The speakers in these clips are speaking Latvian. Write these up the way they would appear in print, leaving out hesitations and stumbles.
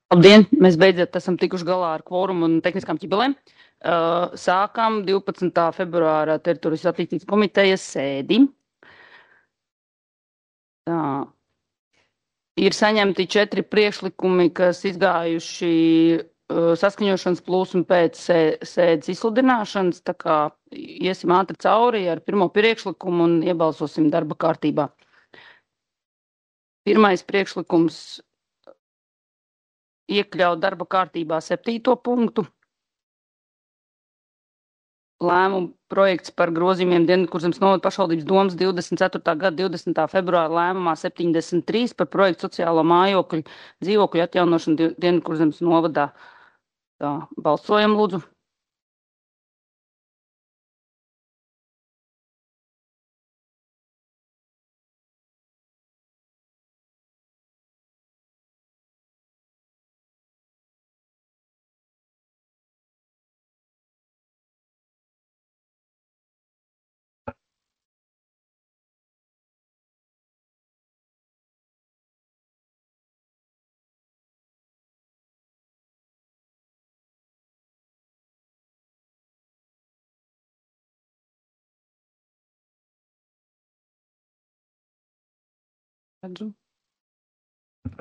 Labdien! Mēs beidzot esam tikuši galā ar kvorumu un tehniskām ķibelēm. Sākam 12. februāra teritorijas attīstības komitejas sēdi. Tā. Ir saņemti 4 priekšlikumi, kas izgājuši saskaņošanas plus un pēc sēdes izsludināšanas. Tā kā iesim ātri cauri ar pirmo priekšlikumu un iebalsosim darba kārtībā. Pirmais priekšlikums iekļaut darba kārtībā 7. punktu. Lēmumu projekts par grozījumiem Dienvidkurzemes novada pašvaldības domas 24. gada 20. februāra lēmumā 73 par projektu sociālo mājokļu dzīvokļu atjaunošanu Dienvidkurzemes novadā. Tā, balsojam lūdzu.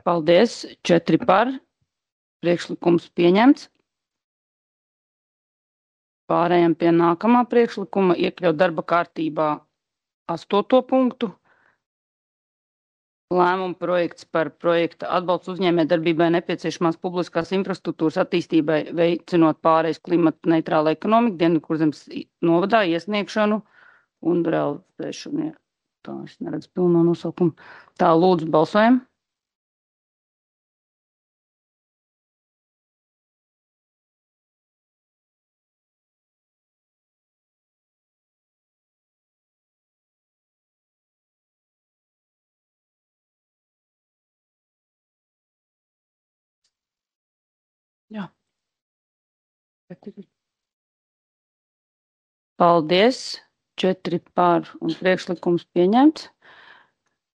Paldies, 4 par, priekšlikums pieņemts. Pārējām pie nākamā priekšlikuma iekļaut darba kārtībā 8. punktu. Lēmumu projekts par projekta atbalstu uzņēmējdarbībai nepieciešamās publiskās infrastruktūras attīstībai, veicinot pārējais klimata neitrāla ekonomika Dienvidkurzemes novadā iesniegšanu un realizēšanu. Tā, es neredzu pilno nosaukumu. Tā, lūdzu, balsojam. Jā. Paldies, 4 par un priekšlikums pieņemts.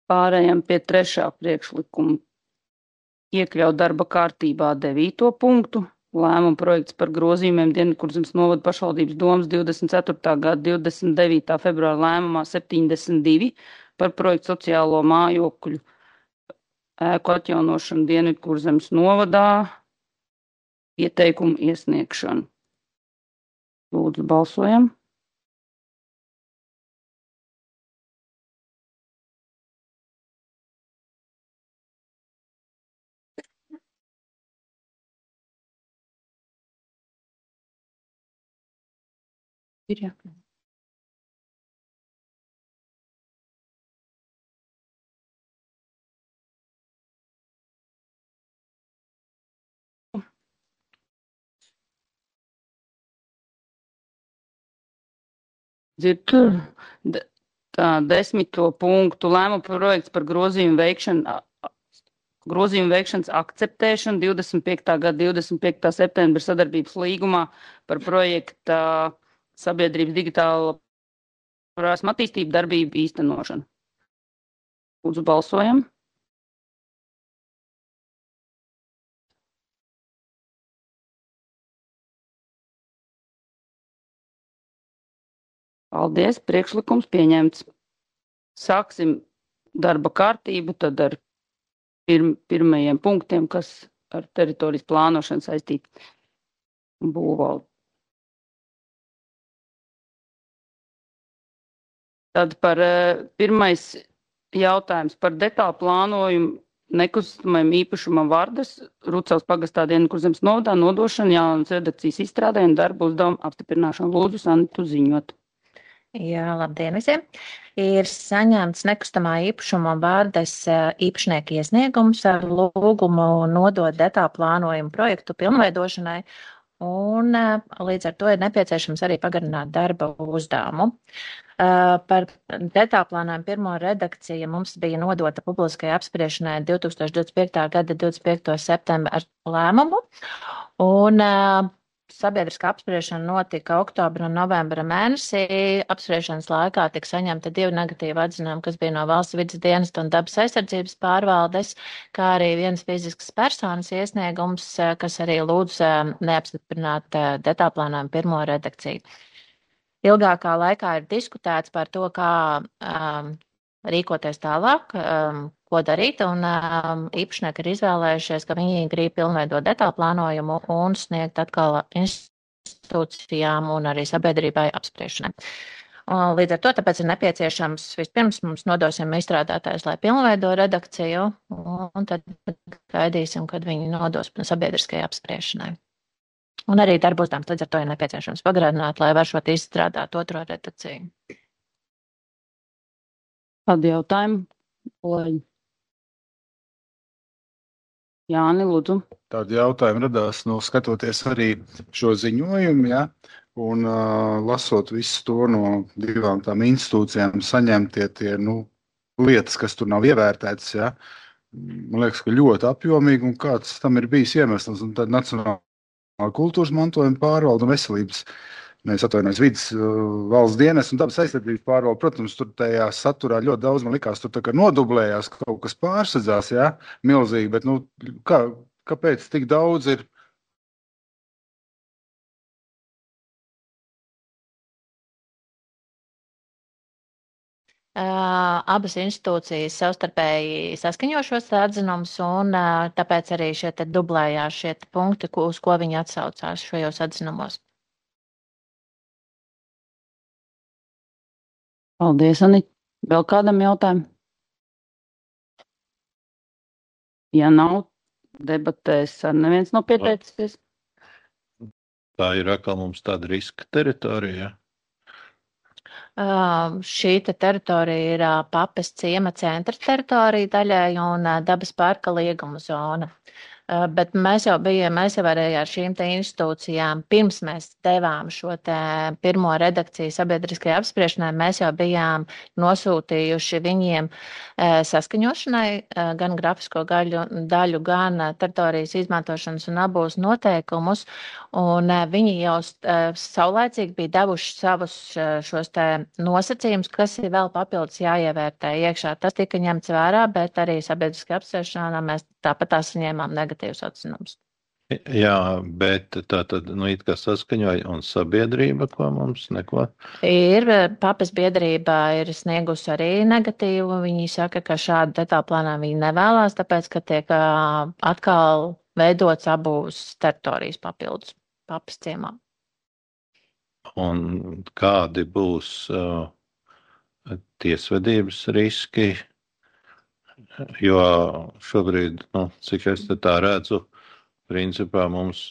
Pārējām pie 3. priekšlikuma iekļaut darba kārtībā 9. punktu. Lēmumu projekts par grozījumiem Dienvidkurzemes novada pašvaldības domas 24. gada 29. februāra lēmumā 72 par projektu sociālo mājokļu ēku atjaunošanu Dienvidkurzemes novadā ieteikumu iesniegšanu. Lūdzu, balsojam. Ir jā. Dzird, tā, 10. punktu lēmumu projekts par grozījumu veikšanas akceptēšanu 25. gada 25. septembra sadarbības līgumā par projekta sabiedrības digitāla prasme attīstību darbību īstenošanu. Lūdzu, balsojam. Paldies, priekšlikums pieņemts. Sāksim darba kārtību tad ar pirmajiem punktiem, kas ar teritorijas plānošanu saistīti būvvaldi. Tad par pirmais jautājums par detālu plānojumu nekustamajam īpašumam Vārdas, Rucavas pagastā Dienvidkurzemes novadā nodošanu, jaunas redakcijas izstrādē un darbu uzdevumu apstiprināšanu. Lūdzu, Sanitu ziņot. Jā, labdien visiem! Ir saņemts nekustamā īpašuma Vārdas īpašnieka iesniegums ar lūgumu nodot detālu plānojumu projektu pilnveidošanai, un līdz ar to ir nepieciešams arī pagarināt darba uzdevumu. Par detālu plānojumu pirmo redakciju mums bija nodota publiskai apspriešanai 2025. gada 25. septembra ar lēmumu, un Sabiedriskā apspriešana notika oktobra un novembra mēnesī. Apspriešanas laikā tika saņemti 2 negatīvi atzinumi, kas bija no Valsts vides dienesta un dabas aizsardzības pārvaldes, kā arī viens fiziskas personas iesniegums, kas arī lūdz neapstiprināt detālplānojumu pirmo redakciju. Ilgākā laikā ir diskutēts par to, kā rīkoties tālāk, ko darīt, un īpašnieki ir izvēlējušies, ka viņi grib pilnveidot detālplānojumu un sniegt atkal institūcijām un arī sabiedrībai apspriešanai. Līdz ar to tāpēc ir nepieciešams vispirms mums nodosim izstrādātājs, lai pilnveido redakciju, un tad gaidīsim, kad viņi nodos sabiedriskajai apspriešanai. Un arī darbostām, līdz ar to ir nepieciešams pagarināt, lai varšot izstrādāt otro redakciju. Kādi jautājumi? Kolēģi. Jāni, lūdzu. Tādi jautājumi radās, skatoties arī šo ziņojumu, ja, un lasot visu to no 2 tām institūcijām, saņemtie tie, lietas, kas tur nav ievērtētas, ja. Man liekas, ka ļoti apjomīgi, un kāds tam ir bijis iemesls, un tad Nacionālā kultūras mantojuma pārvalde un veselības, vidas valsts dienas un dabas aizsardzības pārvalde. Protams, tur tajā saturā ļoti daudz, man likās, tur tā kā nodublējās, kaut kas pārsadzās, jā, milzīgi, bet, kāpēc tik daudz ir? Abas institūcijas savstarpēji saskaņo šos atzinumus, un tāpēc arī šie te dublējās šie te punkti, uz ko viņi atsaucās šajos atzinumos. Paldies, Anita. Vēl kādam jautājumam? Ja nav, debatēs ar neviens nav pieteicies. Tā ir atkal mums tāda riska teritorija. Šī teritorija ir Papes ciema centra teritorija daļai un dabas parka lieguma zona. Bet mēs jau arī ar šīm te institūcijām, pirms mēs devām šo te pirmo redakciju sabiedriskajai apspriešanai, mēs jau bijām nosūtījuši viņiem saskaņošanai gan grafisko daļu, gan teritorijas izmantošanas un abūs noteikumus, un viņi jau saulēcīgi bija devuši savus šos te nosacījumus, kas ir vēl papildus jāievērtē iekšā. Tas tika ņemts vērā, bet arī sabiedriskajā apspriešanā mēs tāpat saņēmām negatīvus atzinumus. Jā, bet tā tad, it kā saskaņoja un sabiedrība, ko mums neko? Ir, Papes biedrība ir sniegusi arī negatīvu. Viņi saka, ka šādu detālplānā viņi nevēlās, tāpēc, ka tiek atkal veidots abūs teritorijas papildus Papes ciemā. Un kādi būs tiesvedības riski? Jo šobrīd, cik es tā redzu, principā mums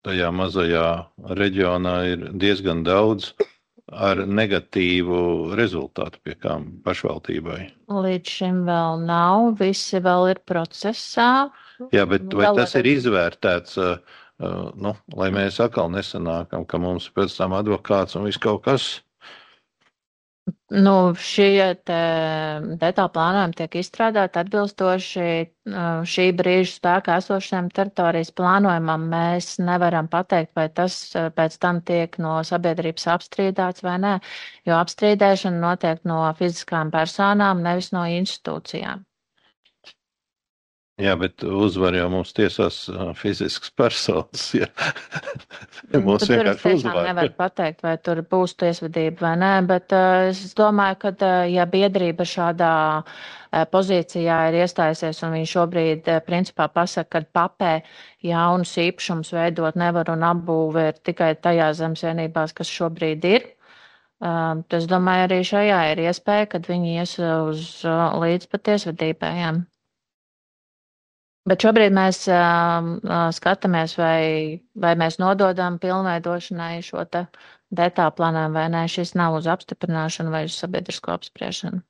tajā mazajā reģionā ir diezgan daudz ar negatīvu rezultātu pie kām pašvaldībai. Līdz šim vēl nav, visi vēl ir procesā. Jā, bet vai tas ir izvērtēts, lai mēs atkal nesanākam, ka mums pēc tam advokāts un viss kaut kas? Šie detālplānojumi tiek izstrādāti atbilstoši šī brīža spēkā esošajam teritorijas plānojumam. Mēs nevaram pateikt, vai tas pēc tam tiek no sabiedrības apstrīdāts vai nē, jo apstrīdēšana notiek no fiziskām personām, nevis no institūcijām. Jā, bet uzvar jau mums tiesās fizisks personas. Ja. Mums vienkārši uzvar. Nevar pateikt, vai tur būs tiesvedība vai nē, bet es domāju, ka ja biedrība šādā pozīcijā ir iestājusies un viņi šobrīd principā pasaka, ka Papē jaunus īpašums veidot nevar un apbūve ir tikai tajās zemesvienībās, kas šobrīd ir. Es domāju, arī šajā ir iespēja, kad viņi ies uz līdz pat tiesvedībai. Jā. Bet šobrīd mēs skatāmies, vai mēs nododam pilnveidošanai šo te detālplānojumu vai nē. Šis nav uz apstiprināšanu vai uz sabiedrisko apspriešanu.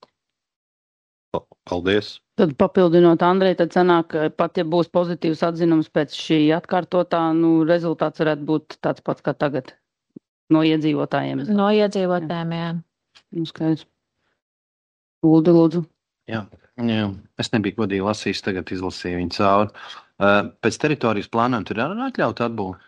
Paldies. Tad papildinot Andreju, tad sanāk, ka pat ja būs pozitīvs atzinums pēc šī atkārtotā, rezultāts varētu būt tāds pats kā tagad no iedzīvotājiem. No iedzīvotājiem, jā. Skaidrs. Uldi, lūdzu. Jā, es nebiju godīgi lasījis, tagad izlasīju viņu cauri. Pēc teritorijas plānojuma tur ir atļauta atbūve?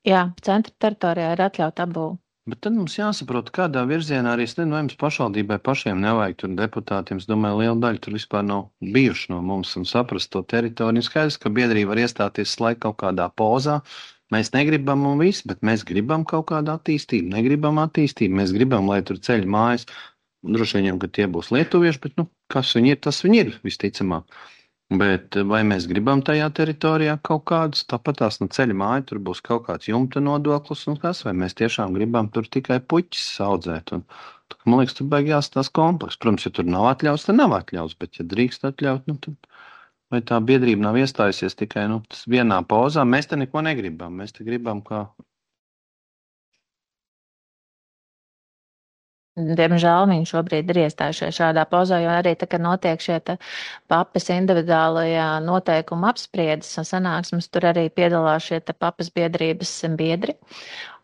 Jā, centra teritorijā ir atļauta apbūve. Bet tad mums jāsaprot, kādā virzienā arī, es nezinu, vai jums pašvaldībai pašiem nevajag tur deputātiem. Es domāju, liela daļa tur vispār nav bijuši no mums un saprast to teritoriju. Skaidrs, ka biedrība var iestāties laika kaut kādā pozā. Mēs negribam un viss, bet mēs gribam kaut kādu attīstību, negribam attīstību. Mēs gribam, lai tur ceļ mājas. Droši vien, ka tie būs lietuvieši, bet, kas viņi ir, tas viņi ir, visticamāk. Bet vai mēs gribam tajā teritorijā kaut kādus, tāpat tās ceļa māja, tur būs kaut kāds jumta nodoklis un kas, vai mēs tiešām gribam tur tikai puķis audzēt. Un, man liekas, tur beigās tās kompleks. Protams, ja tur nav atļauts, tad nav atļauts, bet ja drīkst atļaut, tad vai tā biedrība nav iestājusies tikai vienā pozā, mēs te neko negribam. Mēs te gribam, kā. Diemžēl viņi šobrīd ir iestājušies šādā pozā, jo arī tā, kad notiek šie papas individuālajā noteikuma apspriedes un sanāksmes, tur arī piedalās šie papas biedrības biedri.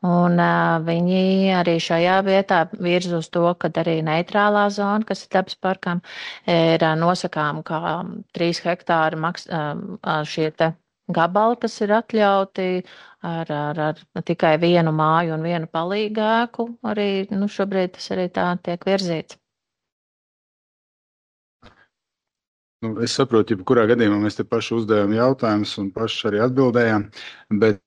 Un viņi arī šajā vietā virz uz to, ka arī neitrālā zona, kas ir dabas parkam, ir nosakām kā 3 hektāri šie te gabali, kas ir atļauti ar tikai vienu māju un vienu palīgāku. Arī šobrīd tas arī tā tiek virzīts. Es saprotu, ja kurā gadījumā mēs te paši uzdevām jautājumus un paši arī atbildējām, bet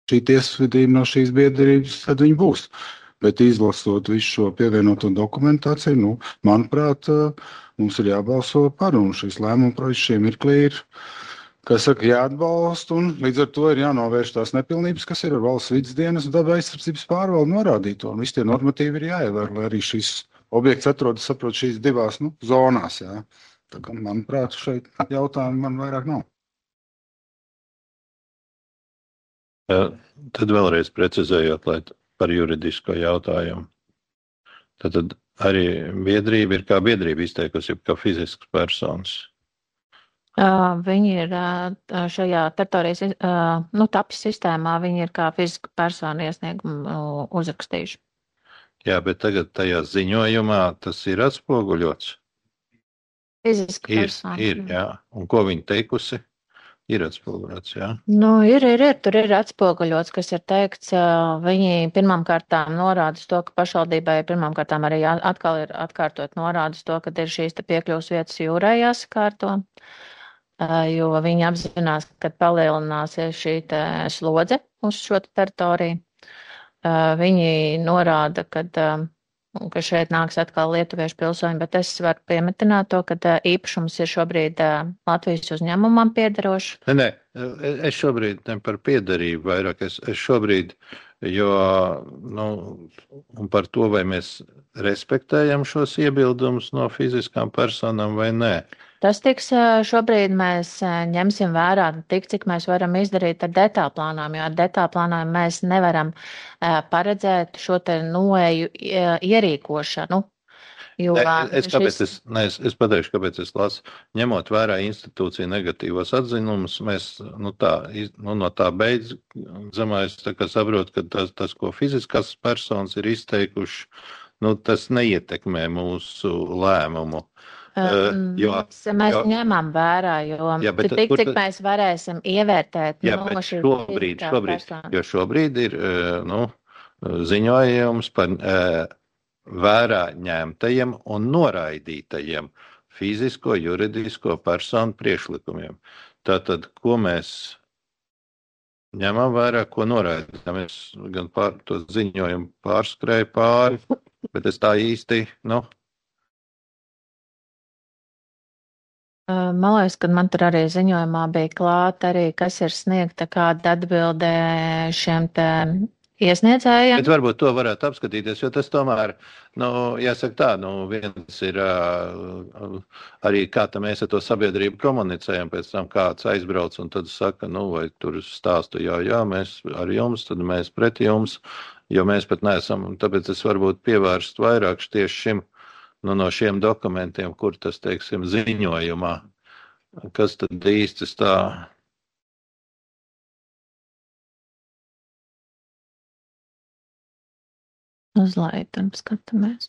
šī tiesvedība no šīs biedrības, tad viņi būs. Bet izlasot visu šo pievienoto dokumentāciju, manuprāt, mums ir jābalso par, un šis lēmuma projekts šī mirklī ir, jāatbalsta, un līdz ar to ir jānovērš tās nepilnības, kas ir ar valsts vides dienas un daba aizsardzības pārvaldu norādīto, un visi tie normatīvi ir jāievēr, lai arī šis objekts atrodas, saprot, šīs divās zonās, jā. Tā kā, manuprāt, šeit jautājumu man vairāk nav. Tad vēlreiz precizējot, lai par juridisko jautājumu. Tad arī biedrība ir kā biedrība izteikusi, kā fizisks personas. Viņi ir šajā teritorijas tapis sistēmā, viņi ir kā fiziska persona iesniegumu uzrakstījuši. Jā, bet tagad tajā ziņojumā tas ir atspoguļots. Fiziska persona. Ir, jā. Un ko viņi teikusi? Ir atspoguļots, jā? Ir. Tur ir atspoguļots, kas ir teikts. Viņi pirmām kārtām norāda to, ka pašvaldībai pirmām kārtām arī atkal ir atkārtot norāda to, ka ir šīs piekļuvas vietas jūrai jāsakārto, jo viņi apzinās, ka palielināsies šī slodze uz šo teritoriju. Viņi norāda, ka šeit nāks atkal lietuviešu pilsoņi, bet es varu piemetināt to, ka īpašums ir šobrīd Latvijas uzņēmumam piederošs. Nē, es šobrīd ne par piederību vairāk, es šobrīd, jo, un par to, vai mēs respektējam šos iebildumus no fiziskām personām vai nē. Tas tiks šobrīd mēs ņemsim vērā tik, cik mēs varam izdarīt ar detālplānām, jo ar detālplānām mēs nevaram paredzēt šo te noeju ierīkošanu. Jo, es pateikšu, kāpēc es lasu. Ņemot vērā institūciju negatīvos atzinumus, mēs no tā beidzamais saprotu, ka tas, ko fiziskās personas ir izteikuši, tas neietekmē mūsu lēmumu. Mēs ņemam vērā, jo cik mēs varēsim ievērtēt šobrīd, jo šobrīd ir ziņojums par vērā ņemtajiem un noraidītajiem fizisko, juridisko personu priekšlikumiem. Tātad, ko mēs ņemam vērā, ko noraidām? Es gan to ziņojumu pārskrēju pāri, bet es tā īsti, Man liekas, ka man tur arī ziņojumā bija klāta arī, kas ir sniegta kāda atbildē šiem te iesniedzējiem. Bet varbūt to varētu apskatīties, jo tas tomēr, jāsaka tā, viens ir arī kā mēs ar to sabiedrību komunicējam, pēc tam kāds aizbrauc un tad saka, vai tur stāstu, jā, mēs ar jums, tad mēs pret jums, jo mēs pat neesam, un tāpēc es varbūt pievērst vairāk tieši šim, no šiem dokumentiem, kur tas, teiksim, ziņojumā, kas tad īsti tā. Uz laitam skatāmies.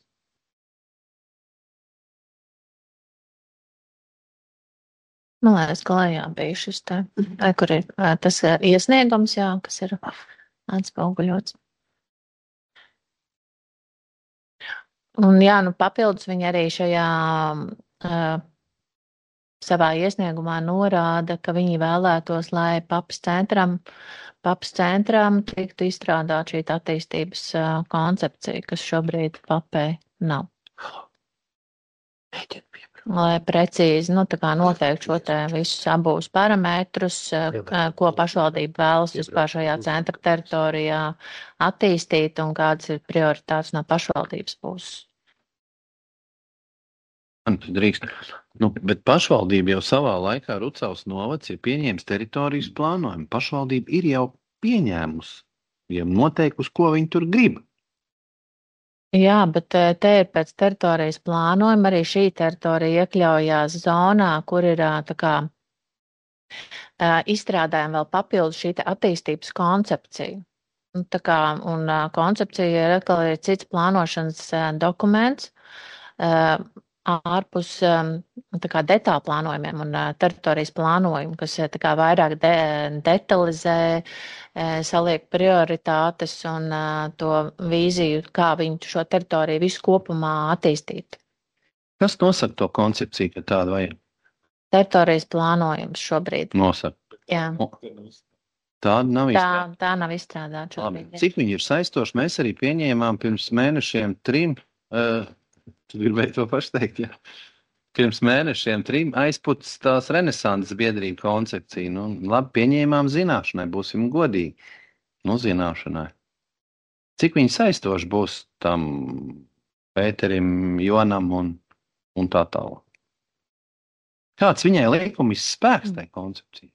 Man liekas, ka lejā bija šis te, kur ir tas iesniegums, jā, kas ir atspoguļots. Un jā, nu papildus viņi arī šajā savā iesniegumā norāda, ka viņi vēlētos, lai papas centram tiktu izstrādāt šī attīstības koncepcija, kas šobrīd papē nav. Lai precīzi, tā kā noteikti šo te visus abūs parametrus, ko pašvaldība vēlas vispār šajā centra teritorijā attīstīt un kādas ir prioritātes no pašvaldības puses. Drīkst. Bet pašvaldība jau savā laikā Rucavas novads ir pieņēmis teritorijas plānojumu. Pašvaldība ir jau pieņēmusi, jau noteikusi, ko viņi tur grib. Jā, bet te ir pēc teritorijas plānojuma arī šī teritorija iekļaujās zonā, kur ir tā kā izstrādājam vēl papildus šī attīstības koncepcija. Un koncepcija ir atkal ir cits plānošanas dokuments, ārpus detālu plānojumiem un teritorijas plānojumu, kas vairāk detalizē, saliek prioritātes un to vīziju, kā viņi šo teritoriju visu kopumā attīstīt. Kas nosaka to koncepciju, ka tāda vajag? Teritorijas plānojums šobrīd. Nosaka. Jā. Tāda nav izstrādāta. Tā nav izstrādāta šobrīd. Cik viņi ir saistoši? Mēs arī pieņēmām pirms mēnešiem 3. Tu gribēji to pašu teikt, jā. Pirms mēnešiem 3 aizputas tās renesanses biedrība koncepcija. Labi, pieņēmām zināšanai, būsim godīgi. Zināšanai. Cik viņi saistoši būs tam Pēterim, Jonam un tā tālāk? Kāds viņai likumis spēks tai koncepcija?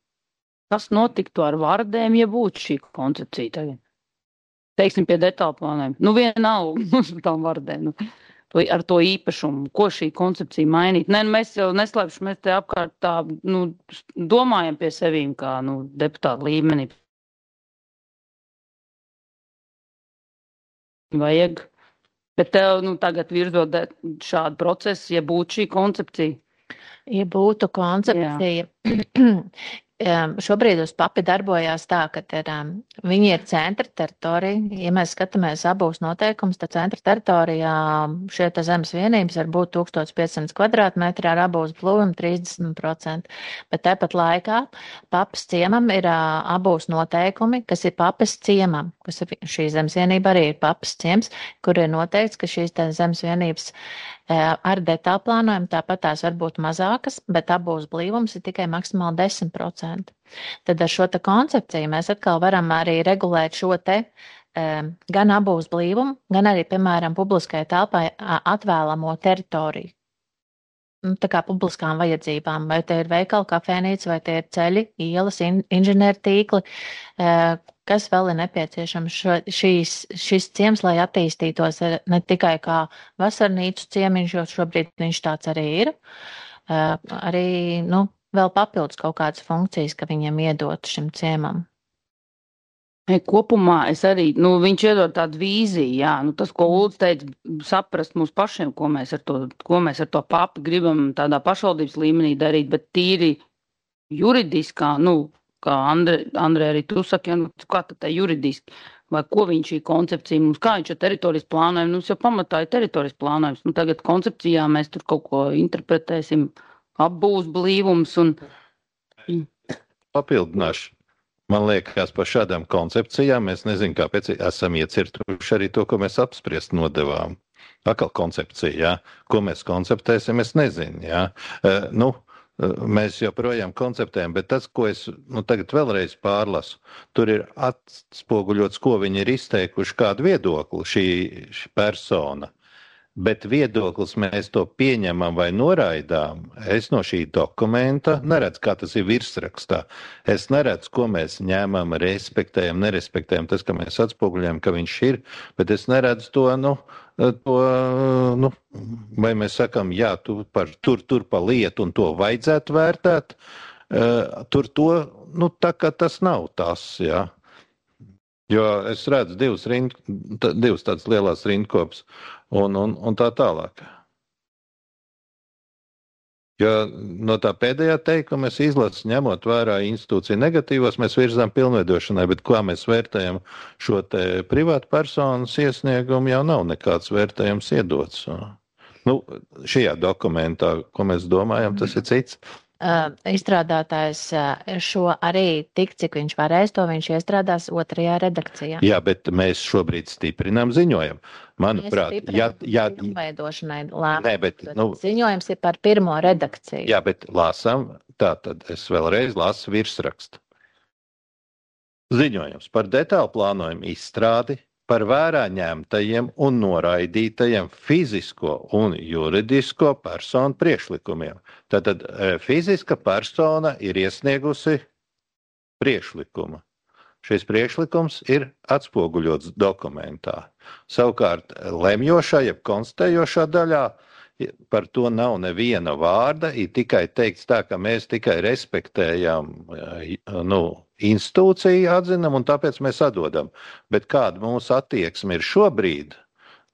Kas notiktu ar vardēm, ja būtu šī koncepcija tagad? Teiksim pie detālu plāniem. Vienalga uz tām vardēm. Ar to īpašumu, ko šī koncepcija mainīt. Mēs jau neslēpšu, mēs te apkārt tā, domājam pie sevīm kā, deputāta līmenī. Vajag. Bet tev, tagad virzot šādu procesu, ja būtu šī koncepcija. Ja būtu koncepcija, šobrīd uz papi darbojās tā, ka viņi ir centra teritorija. Ja mēs skatāmies abos noteikumus, tad centra teritorijā šie zemes vienības var būt 1500 kvadrātmetri ar abos blūviem 30%. Bet tāpat laikā papas ciemam ir abos noteikumi, kas ir papas ciemam, kas ir šī zemes vienība arī ir papas ciems, kur ir noteikts, ka šīs zemes vienības ar detālu plānojumu tāpat tās var būt mazākas, bet abos blīvums ir tikai maksimāli 10%. Tad ar šo te koncepciju mēs atkal varam arī regulēt šo te gan abos blīvumu, gan arī, piemēram, publiskai telpai atvēlamo teritoriju. Tā kā publiskām vajadzībām, vai te ir veikali, kafēnīca, vai te ir ceļi, ielas, inženieru tīkli, kas vēl ir nepieciešams šis ciems, lai attīstītos ne tikai kā vasarnīcu ciemiņš, jo šobrīd viņš tāds arī ir, arī, vēl papildus kaut kādas funkcijas, ka viņiem iedot šim ciemam. Kopumā es arī, viņš iedod tādu vīziju, jā, tas, ko Ulds teica, saprast mums pašiem, ko mēs ar to papi gribam tādā pašvaldības līmenī darīt, bet tīri juridiskā, kā Andrē arī tu saki, kā tad tā juridiski, vai ko viņš šī koncepcija mums, kā viņš ar teritorijas plānojumu, mums jau pamatā ir teritorijas plānojums, tagad koncepcijā mēs tur kaut ko interpretēsim, apbūs blīvums un... Papildināšu. Man liekas, par šādām koncepcijām mēs nezinu, kāpēc esam iecirtuši arī to, ko mēs apspriest nodevām. Atkal koncepcija, jā. Ko mēs konceptēsim, es nezinu, jā. Mēs joprojām konceptējam, bet tas, ko es tagad vēlreiz pārlasu, tur ir atspoguļots, ko viņi ir izteikuši, kādu viedokli šī persona. Bet viedoklis mēs to pieņemam vai noraidām. Es no šī dokumenta neredzu, kā tas ir virsrakstā. Es neredzu, ko mēs ņēmam, respektējam, nerespektējam. Tas, ka mēs atspoguļojam, ka viņš ir, bet es neredzu to, vai mēs sakam, jā, tur pa lietu un to vajadzētu vērtēt. Tur to, tā kā tas nav tas, jā. Jo es redzu divas tādas lielās rindkopas un tā tālāk. Jo no tā pēdējā teikuma es izlasu, ņemot vērā institūciju negatīvos, mēs virzām pilnveidošanai, bet kā mēs vērtējam šo te privātu personas iesniegumu, jau nav nekāds vērtējums iedots. Nu, šajā dokumentā, ko mēs domājam, tas ir cits. Izstrādātājs šo arī tik, cik viņš varēs, to viņš iestrādās otrajā redakcijā. Jā, bet mēs šobrīd stiprinām ziņojumu. Manuprāt, pilnveidošanai lēmumu. Nē, bet, ziņojums ir par pirmo redakciju. Jā, bet lasām, tātad es vēlreiz lasu virsrakstu. Ziņojums par detālu plānojumu izstrādi, par vērā ņemtajiem un noraidītajiem fizisko un juridisko personu priekšlikumiem. Tātad fiziska persona ir iesniegusi priekšlikumu. Šis priekšlikums ir atspoguļots dokumentā. Savukārt lemjošā, jeb konstatējošā daļā par to nav neviena vārda, ir tikai teikts tā, ka mēs tikai respektējam institūciju atzinam un tāpēc mēs atdodam. Bet kāda mūsu attieksme ir šobrīd,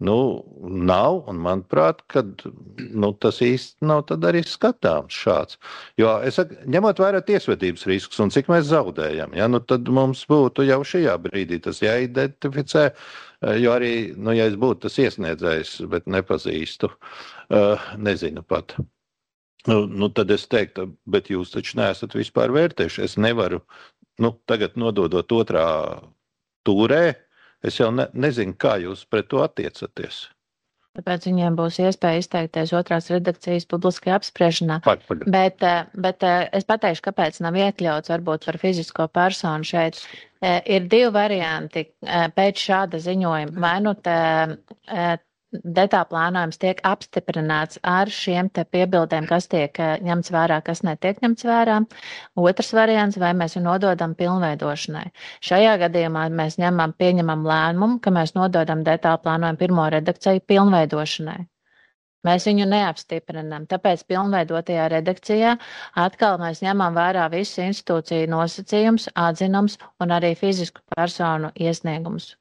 nav, un manuprāt, kad tas īsti nav tad arī skatāms šāds. Jo es saku, ņemot vērā tiesvedības riskus un cik mēs zaudējam, tad mums būtu jau šajā brīdī tas jāidentificē, jo arī, ja es būtu tas iesniedzējs, bet nepazīstu, nezinu pat. Tad es teiktu, bet jūs taču neesat vispār vērtējuši. Es nevaru, tagad nododot otrā tūrē, es jau nezinu, kā jūs pret to attiecaties. Tāpēc viņiem būs iespēja izteikties otrās redakcijas publiskajā apspriešanā. Bet es pateikšu, kāpēc nav iekļauts varbūt par fizisko personu šeit. Ir divi varianti pēc šāda ziņojuma. Vai detālu plānojums tiek apstiprināts ar šiem te piebildēm, kas tiek ņemts vērā, kas netiek ņemts vērā. Otrs variants, vai mēs viņu nododam pilnveidošanai. Šajā gadījumā mēs pieņemam lēmumu, ka mēs nododam detālu plānojumu pirmo redakciju pilnveidošanai. Mēs viņu neapstiprinām, tāpēc pilnveidotajā redakcijā atkal mēs ņemam vērā visu institūciju nosacījums, atzinums un arī fizisku personu iesniegumus.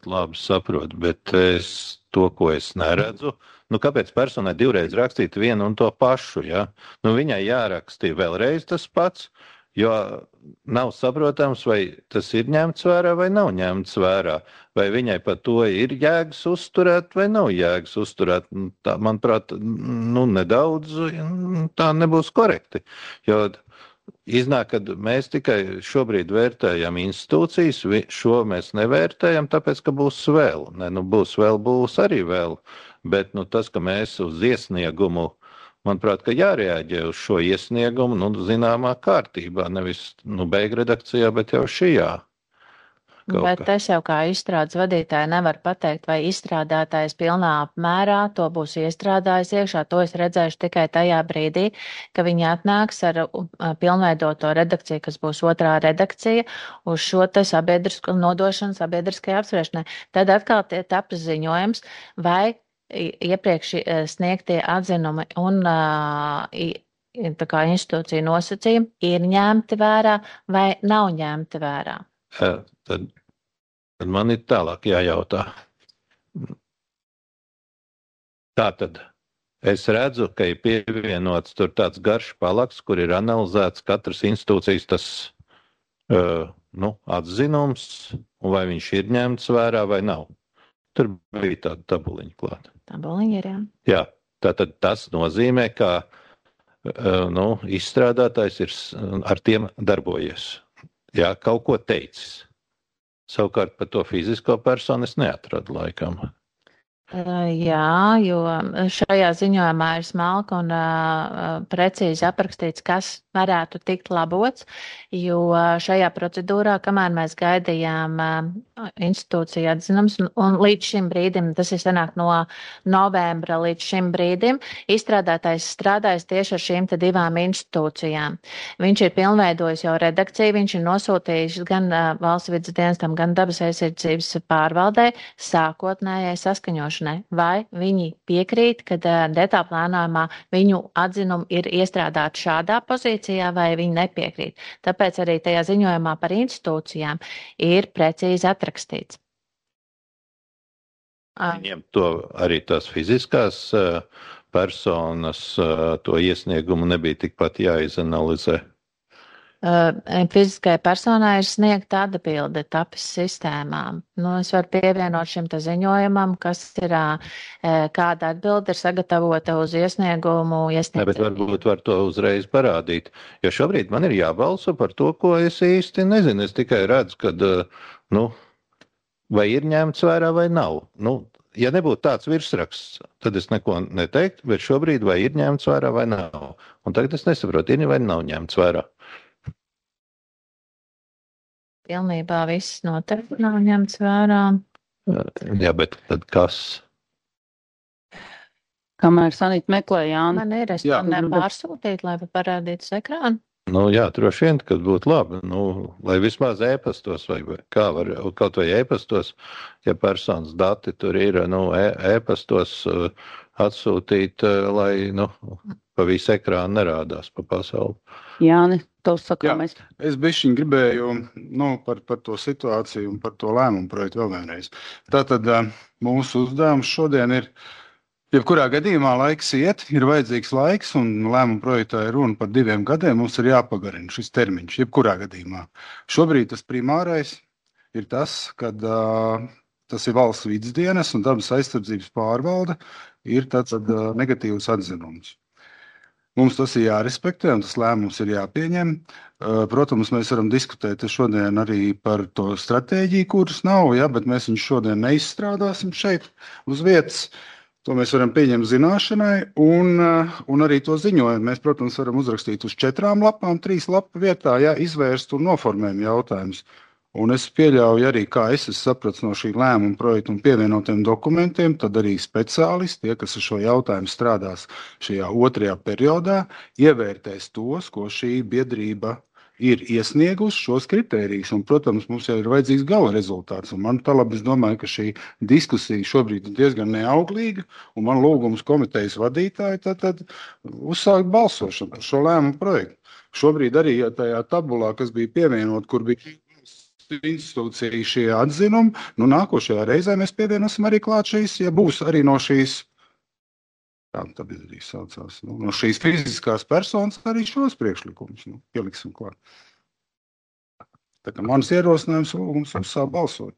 Labi saprotu, bet to, ko es neredzu, kāpēc personai divreiz rakstīt vienu un to pašu, ja? Viņai jārakstīja vēlreiz tas pats, jo nav saprotams, vai tas ir ņemts vērā vai nav ņemts vērā, vai viņai par to ir jēgas uzturēt vai nav jēgas uzturēt. Tā, manuprāt, nedaudz tā nebūs korekti, jo iznāk, ka mēs tikai šobrīd vērtējam institūcijas, šo mēs nevērtējam, tāpēc, ka būs vēl. Būs arī vēl, bet tas, ka mēs uz iesniegumu, manuprāt, ka jārēģē uz šo iesniegumu, zināmā kārtībā, nevis beigredakcijā, bet jau šajā. Bet es jau kā izstrādes vadītāja nevaru pateikt, vai izstrādātājs pilnā apmērā to būs iestrādājis iekšā. To es redzēšu tikai tajā brīdī, ka viņi atnāks ar pilnveidoto redakciju, kas būs otrā redakcija, uz šo te sabiedrisku nodošanu sabiedriskajai apspriešanai. Tad atkal taps ziņojums, vai iepriekš sniegtie atzinumi un tā kā institūcija nosacījumi ir ņemti vērā vai nav ņemti vērā. Tad man ir tālāk jājautā. Tātad es redzu, ka ir pievienots tur tāds garš palaks, kur ir analizēts katras institūcijas tas atzinums, un vai viņš ir ņemts vērā vai nav. Tur bija tāda tabuliņa klāta. Tabuliņa ir, jā. Jā, tātad tas nozīmē, ka izstrādātājs ir ar tiem darbojies. Jā, kaut ko teicis. Savukārt par to fizisko personu es neatradu laikam. Jā, jo šajā ziņojumā ir smalki un precīzi aprakstīts, kas varētu tikt labots, jo šajā procedūrā, kamēr mēs gaidījām institūciju atzinums, un līdz šim brīdim, tas ir sanāk no novembra līdz šim brīdim, izstrādātājs strādājas tieši ar šīm te divām institūcijām. Viņš ir pilnveidojis jau redakciju, viņš ir nosūtījis gan valsts vides dienestam, gan dabas aizsardzības pārvaldē sākotnējai saskaņošanai. plānošanai, vai viņi piekrīt, ka detāla plānojumā viņu atzinumi ir iestrādāti šādā pozīcijā, vai viņi nepiekrīt. Tāpēc arī tajā ziņojumā par institūcijām ir precīzi atrakstīts. Viņiem to arī tās fiziskās personas to iesniegumu nebija tikpat jāizanalizē. Fiziskai personai ir sniegta atbilde TAPS sistēmām. Es varu pievienot šim te ziņojumam, kas ir, kāda atbilde ir sagatavota uz iesniegumu. Ne, bet varbūt var to uzreiz parādīt, jo šobrīd man ir jābalso par to, ko es īsti nezinu. Es tikai redzu, kad, vai ir ņemts vērā vai nav. Ja nebūtu tāds virsraksts, tad es neko neteiktu, bet šobrīd vai ir ņemts vērā vai nav. Un tagad es nesaprotu, ir vai nav ņemts vērā. Pilnībā viss noteikti nav ņemts vērā. Jā, bet tad kas? Kamēr Sanita meklē Jāni. Man ir, es man pārsūtīt, lai parādītu uz ekrānu. Jā, droši vien, kad būtu labi, lai vismaz e-pastos vai kā var, kaut vai e-pastos, ja personas dati tur ir, e-pastos atsūtīt, lai, pa visu ekrānu nerādās pa pasauli. Jāni, tavs sakāmais. Es bišķiņ gribēju par to situāciju un par to lēmumu projektu vēl vienreiz. Tātad mūsu uzdevums šodien ir, jebkurā gadījumā laiks iet, ir vajadzīgs laiks, un lēmumu projektā ir runa par 2 gadiem, mums ir jāpagarina šis termiņš, jebkurā gadījumā. Šobrīd tas primārais ir tas, kad tas ir valsts vides dienas un dabas aizsardzības pārvalde, ir tāds negatīvs atzinums. Mums tas ir jārespektē un tas lēmums ir jāpieņem. Protams, mēs varam diskutēt šodien arī par to stratēģiju, kuras nav, bet mēs viņu šodien neizstrādāsim šeit uz vietas. To mēs varam pieņemt zināšanai un arī to ziņojumu. Mēs, protams, varam uzrakstīt uz 4 lapām, 3 lapu vietā, izvērst un noformēt jautājumus. Un es pieļauju arī, kā es sapratu no šī lēmuma projekta un pievienotiem dokumentiem, tad arī speciālisti, tie, kas ar šo jautājumu strādās šajā 2. periodā, ievērtēs tos, ko šī biedrība ir iesniegusi šos kritērijus. Un, protams, mums jau ir vajadzīgs gala rezultāts. Un man es domāju, ka šī diskusija šobrīd ir diezgan neauglīga, un man lūgums komitejas vadītāji tad uzsākt balsošanu par šo lēmumu projektu. Šobrīd arī tajā tabulā, kas bija pievienot, kur bija institūcija šie atzinumi, nākošajā reizē mēs pievienosim arī klāt šīs, ja būs arī no šīs, no šīs fiziskās personas arī šos priekšlikumus pieliksim klāt. Tā kā mans ierosinājums lūgums uzsākt balsot.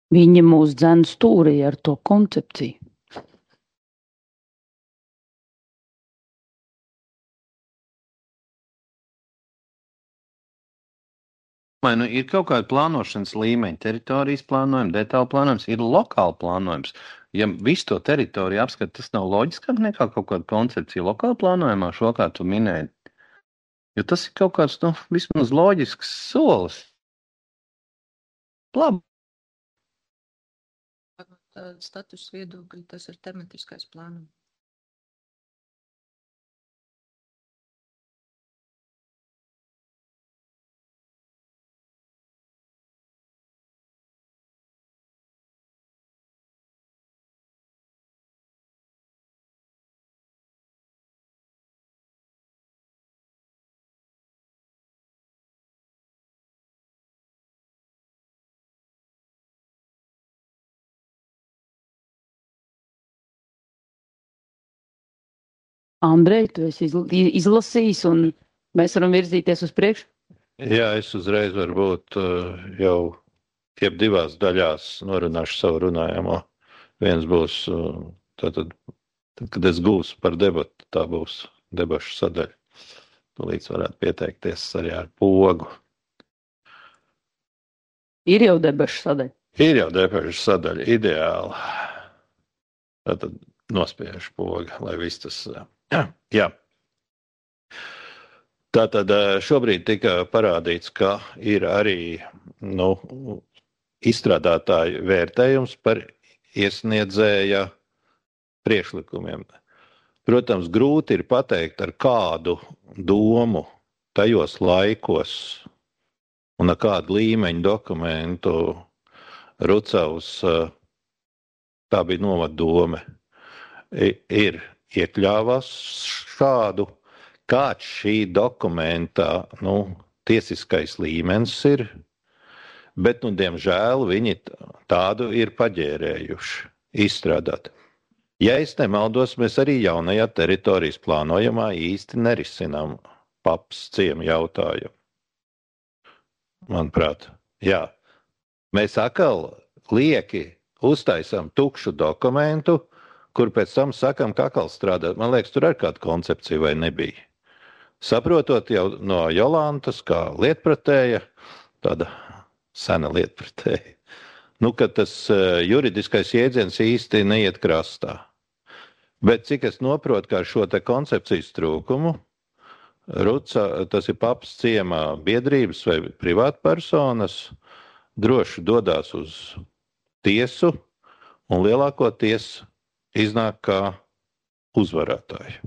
Viņi mūs dzen stūrī ar to koncepciju. Vai ir kaut kāda plānošanas līmeņa, teritorijas plānojums, detāla plānojums, ir lokāla plānojums. Ja visu to teritoriju apskat, tas nav loģiskāk nekā kaut kāda koncepcija lokāla plānojumā, šo kā tu minēji. Jo tas ir kaut kāds, vismaz loģisks solis. Labi. Status viedokļi, tas ir tematiskais plānojums. Andrej, tu esi izlasījis un mēs varam virzīties uz priekšu? Jā, es uzreiz varbūt jau divās daļās norunāšu savu runājamo. Viens būs, tad, kad es gūstu par debatu, tā būs debašu sadaļa. Tūlīt varētu pieteikties arī ar pogu. Ir jau debašu sadaļa. Ir jau debašu sadaļa, ideāli. Tad nospiežu pogu, lai viss tas... Jā. Tātad šobrīd tika parādīts, ka ir arī izstrādātāju vērtējums par iesniedzēja priekšlikumiem. Protams, grūti ir pateikt, ar kādu domu tajos laikos un ar kādu līmeņu dokumentu Rucavs, tā bija novadome, ir iekļāvās šādu, kāds šī dokumenta tiesiskais līmenis ir, bet, diemžēl, viņi tādu ir paģērējuši, izstrādāt. Ja es nemaldos, mēs arī jaunajā teritorijas plānojumā īsti nerisinām paps ciemu jautājumu. Manuprāt, jā. Mēs atkal lieki uztaisām tukšu dokumentu, kur pēc tam sakam, ka atkal strādāt. Man liekas, tur ar kādu koncepciju vai nebija. Saprotot jau no Jolantas, kā lietpratēja, tāda sena lietpratēja, ka tas juridiskais jēdziens īsti neiet krastā. Bet cik es noprotu, kā ar šo te koncepcijas trūkumu, tas ir paps ciemā biedrības vai privātpersonas, droši dodās uz tiesu un lielākoties iznāk kā uzvarētāji.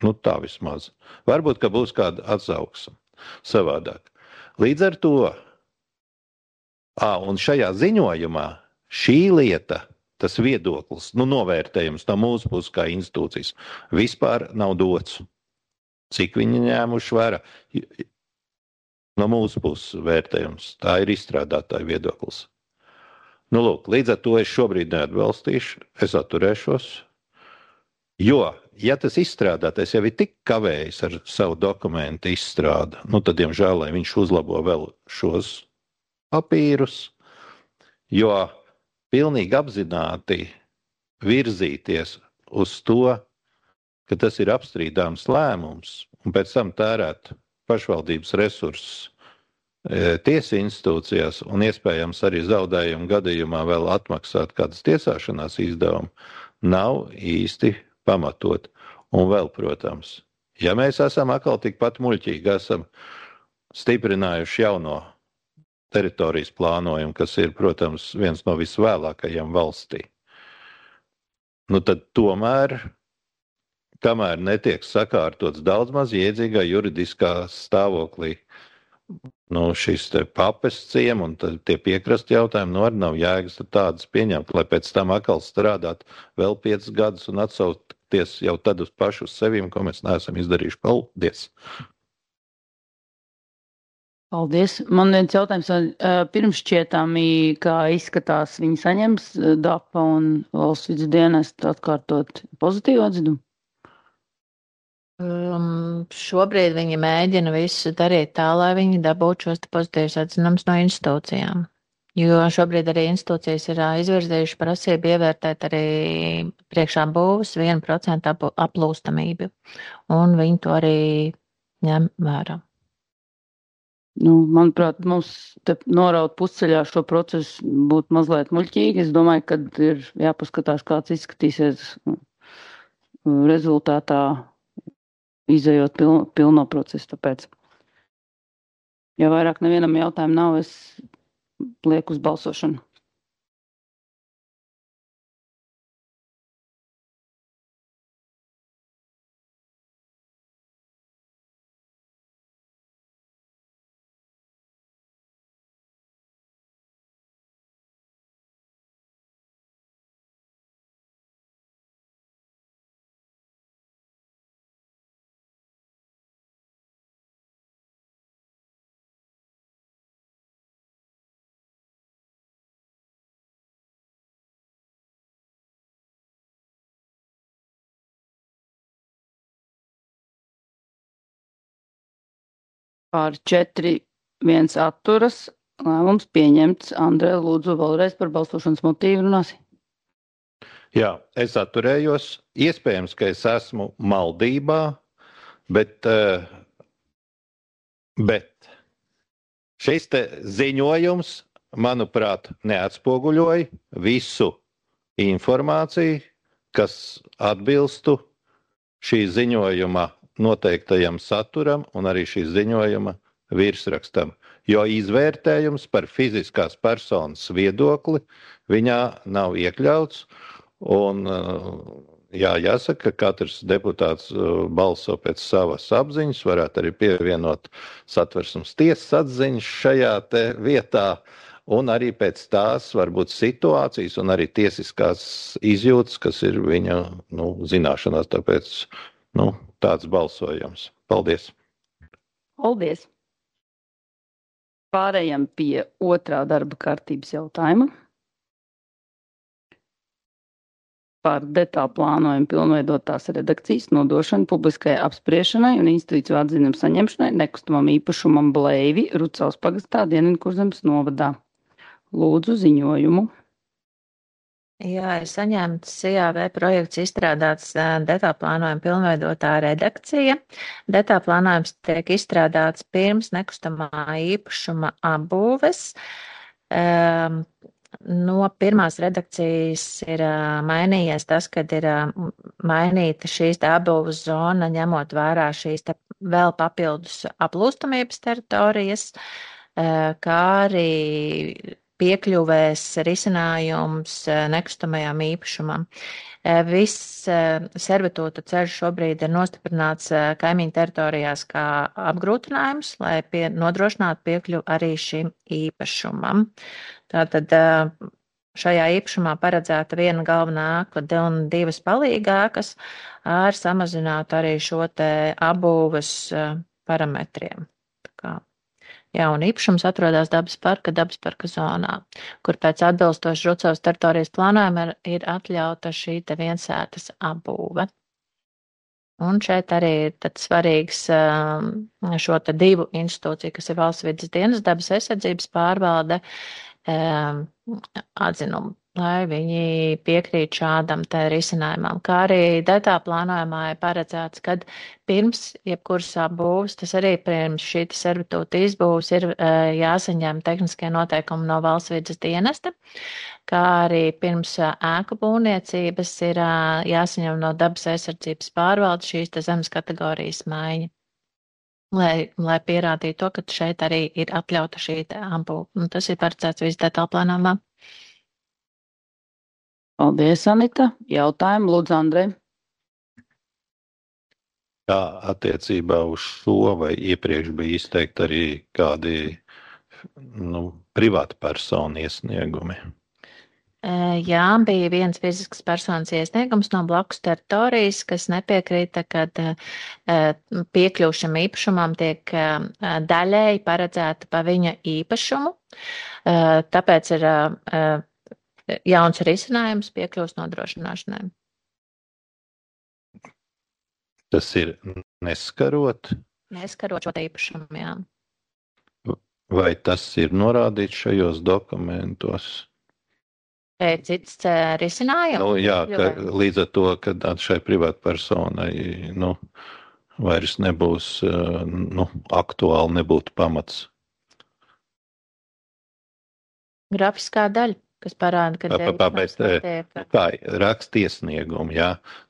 Tā vismaz. Varbūt, ka būs kāda atsauksme savādāk. Līdz ar to, un šajā ziņojumā šī lieta, tas viedoklis, novērtējums no mūsu puses kā institūcijas, vispār nav dots. Cik viņi ņēmuši vērā? No mūsu puses vērtējums. Tā ir izstrādātāja viedoklis. Lūk, līdz ar to es šobrīd neatbalstīšu, es atturēšos. Jo, ja tas izstrādātais jau ir tik kavējis ar savu dokumentu izstrādi, tad, diemžēl, lai viņš uzlabo vēl šos papīrus, jo pilnīgi apzināti virzīties uz to, ka tas ir apstrīdāms lēmums, un pēc tam tērēt pašvaldības resursus tiesu institūcijās un iespējams arī zaudējumu gadījumā vēl atmaksāt kādas tiesāšanās izdevumu, nav īsti pamatot. Un vēl, protams, ja mēs esam atkal tikpat muļķīgi, esam stiprinājuši jauno teritorijas plānojumu, kas ir, protams, viens no visvēlākajiem valstī, tad tomēr, kamēr netiek sakārtots daudz maz iedzīgā juridiskā stāvoklī, šis te papes ciem un tie piekrasti jautājumi, arī nav jēgas tādas pieņemt, lai pēc tam atkal strādāt vēl 5 gadus un atsaukties jau tad uz pašu uz sevīm, ko mēs neesam izdarījuši. Paldies! Paldies! Man viens jautājums, pirms šķietami, kā izskatās, viņi saņems DAPA un valsts vidas dienestu atkārtot pozitīvu atzinumu? Šobrīd viņi mēģina visu darīt tā, lai viņi dabūtu šos pozitīvus atzinumus no institūcijām. Jo šobrīd arī institūcijas ir izvirzījuši prasību ievērtēt arī priekšā būvs 1% aplūstamību. Un viņi to arī ņem vērā. Manuprāt, mums te noraut pusceļā šo procesu būtu mazliet muļķīgi. Es domāju, ka ir jāpaskatās, kāds izskatīsies rezultātā, izejot pilno procesu. Tāpēc, ja vairāk nevienam jautājumu nav, es lieku uz balsošanu. Par 4-1 atturas. Lēmums pieņemts. Andrē, lūdzu vēlreiz par balsošanas motīvu runāsi. Jā, es atturējos. Iespējams, ka es esmu maldībā, bet šis te ziņojums, manuprāt, neatspoguļoja visu informāciju, kas atbilstu šī ziņojuma noteiktajam saturam un arī šī ziņojuma virsrakstam. Jo izvērtējums par fiziskās personas viedokli viņā nav iekļauts. Un, jā, jāsaka, ka katrs deputāts balso pēc savas apziņas, varētu arī pievienot Satversmes tiesas atziņas šajā te vietā, un arī pēc tās varbūt situācijas un arī tiesiskās izjūtas, kas ir viņa zināšanās, tāpēc tāds balsojums. Paldies! Paldies! Pārējām pie otrā darba kārtības jautājuma. Par detālu plānojumu pilnveidotās redakcijas nodošanu publiskai apspriešanai un institūciju atzinumu saņemšanai nekustamam īpašumam Bleivi Rucavas pagastā Dienvidkurzemes novadā. Lūdzu ziņojumu. Jā, ir saņemts IAV projekts izstrādāts detālu plānojumu pilnveidotā redakcija. Detālu plānojums tiek izstrādāts pirms nekustamā īpašuma apbūves. No pirmās redakcijas ir mainījies tas, kad ir mainīta šīs apbūves zona, ņemot vērā šīs vēl papildus aplūstamības teritorijas, kā arī piekļuvēs risinājums nekustamajām īpašumam. Viss servitūta ceļš šobrīd ir nostiprināts kaimiņu teritorijās kā apgrūtinājums, lai nodrošinātu piekļuvu arī šim īpašumam. Tātad šajā īpašumā paredzēta viena galvenā ēka un divas palīgākas ar samazinātu arī šo te apbūves parametriem. Jauna īpašums atrodas dabas parka zonā, kur pēc atbilstoši Rucavas teritorijas plānojuma ir atļauta šī te viensētas apbūve. Un šeit arī ir tad svarīgs šo te divu institūciju, kas ir Valsts vides dienas, dabas aizsardzības pārvalde, atzinumu, lai viņi piekrīt šādam te risinājumam. Kā arī detālu plānojumā ir paredzēts, kad pirms jebkuras apbūves, tas arī pirms šī servitūta izbūves ir jāsaņem tehniskie noteikumi no Valsts vides dienesta, kā arī pirms ēku būvniecības ir jāsaņem no dabas aizsardzības pārvaldes šīs te zemes kategorijas maiņa. Lai pierādītu to, ka šeit arī ir atļauta šī apbūve. Un tas ir paredzēts visu detālu plānojumā. Paldies, Anita. Jautājumu lūdzu Andrei. Kā attiecībā uz šo vai iepriekš bija izteikti arī kādi privāta personu iesniegumi? Jā, bija viens fizisks personas iesniegums no blakus teritorijas, kas nepiekrīta, kad piekļūšam īpašumam tiek daļēji paredzēta pa viņa īpašumu. Tāpēc ir jauns risinājums piekļūst nodrošināšanai. Tas ir neskarot? Neskarot šo īpašumu, jā. Vai tas ir norādīts šajos dokumentos? Cits risinājums? Jā, līdz ar to, ka šai privātpersonai vairs nebūs aktuāli, nebūtu pamats. Grafiskā daļa, kas parāda, ka kā rakstiesniegumi, jā.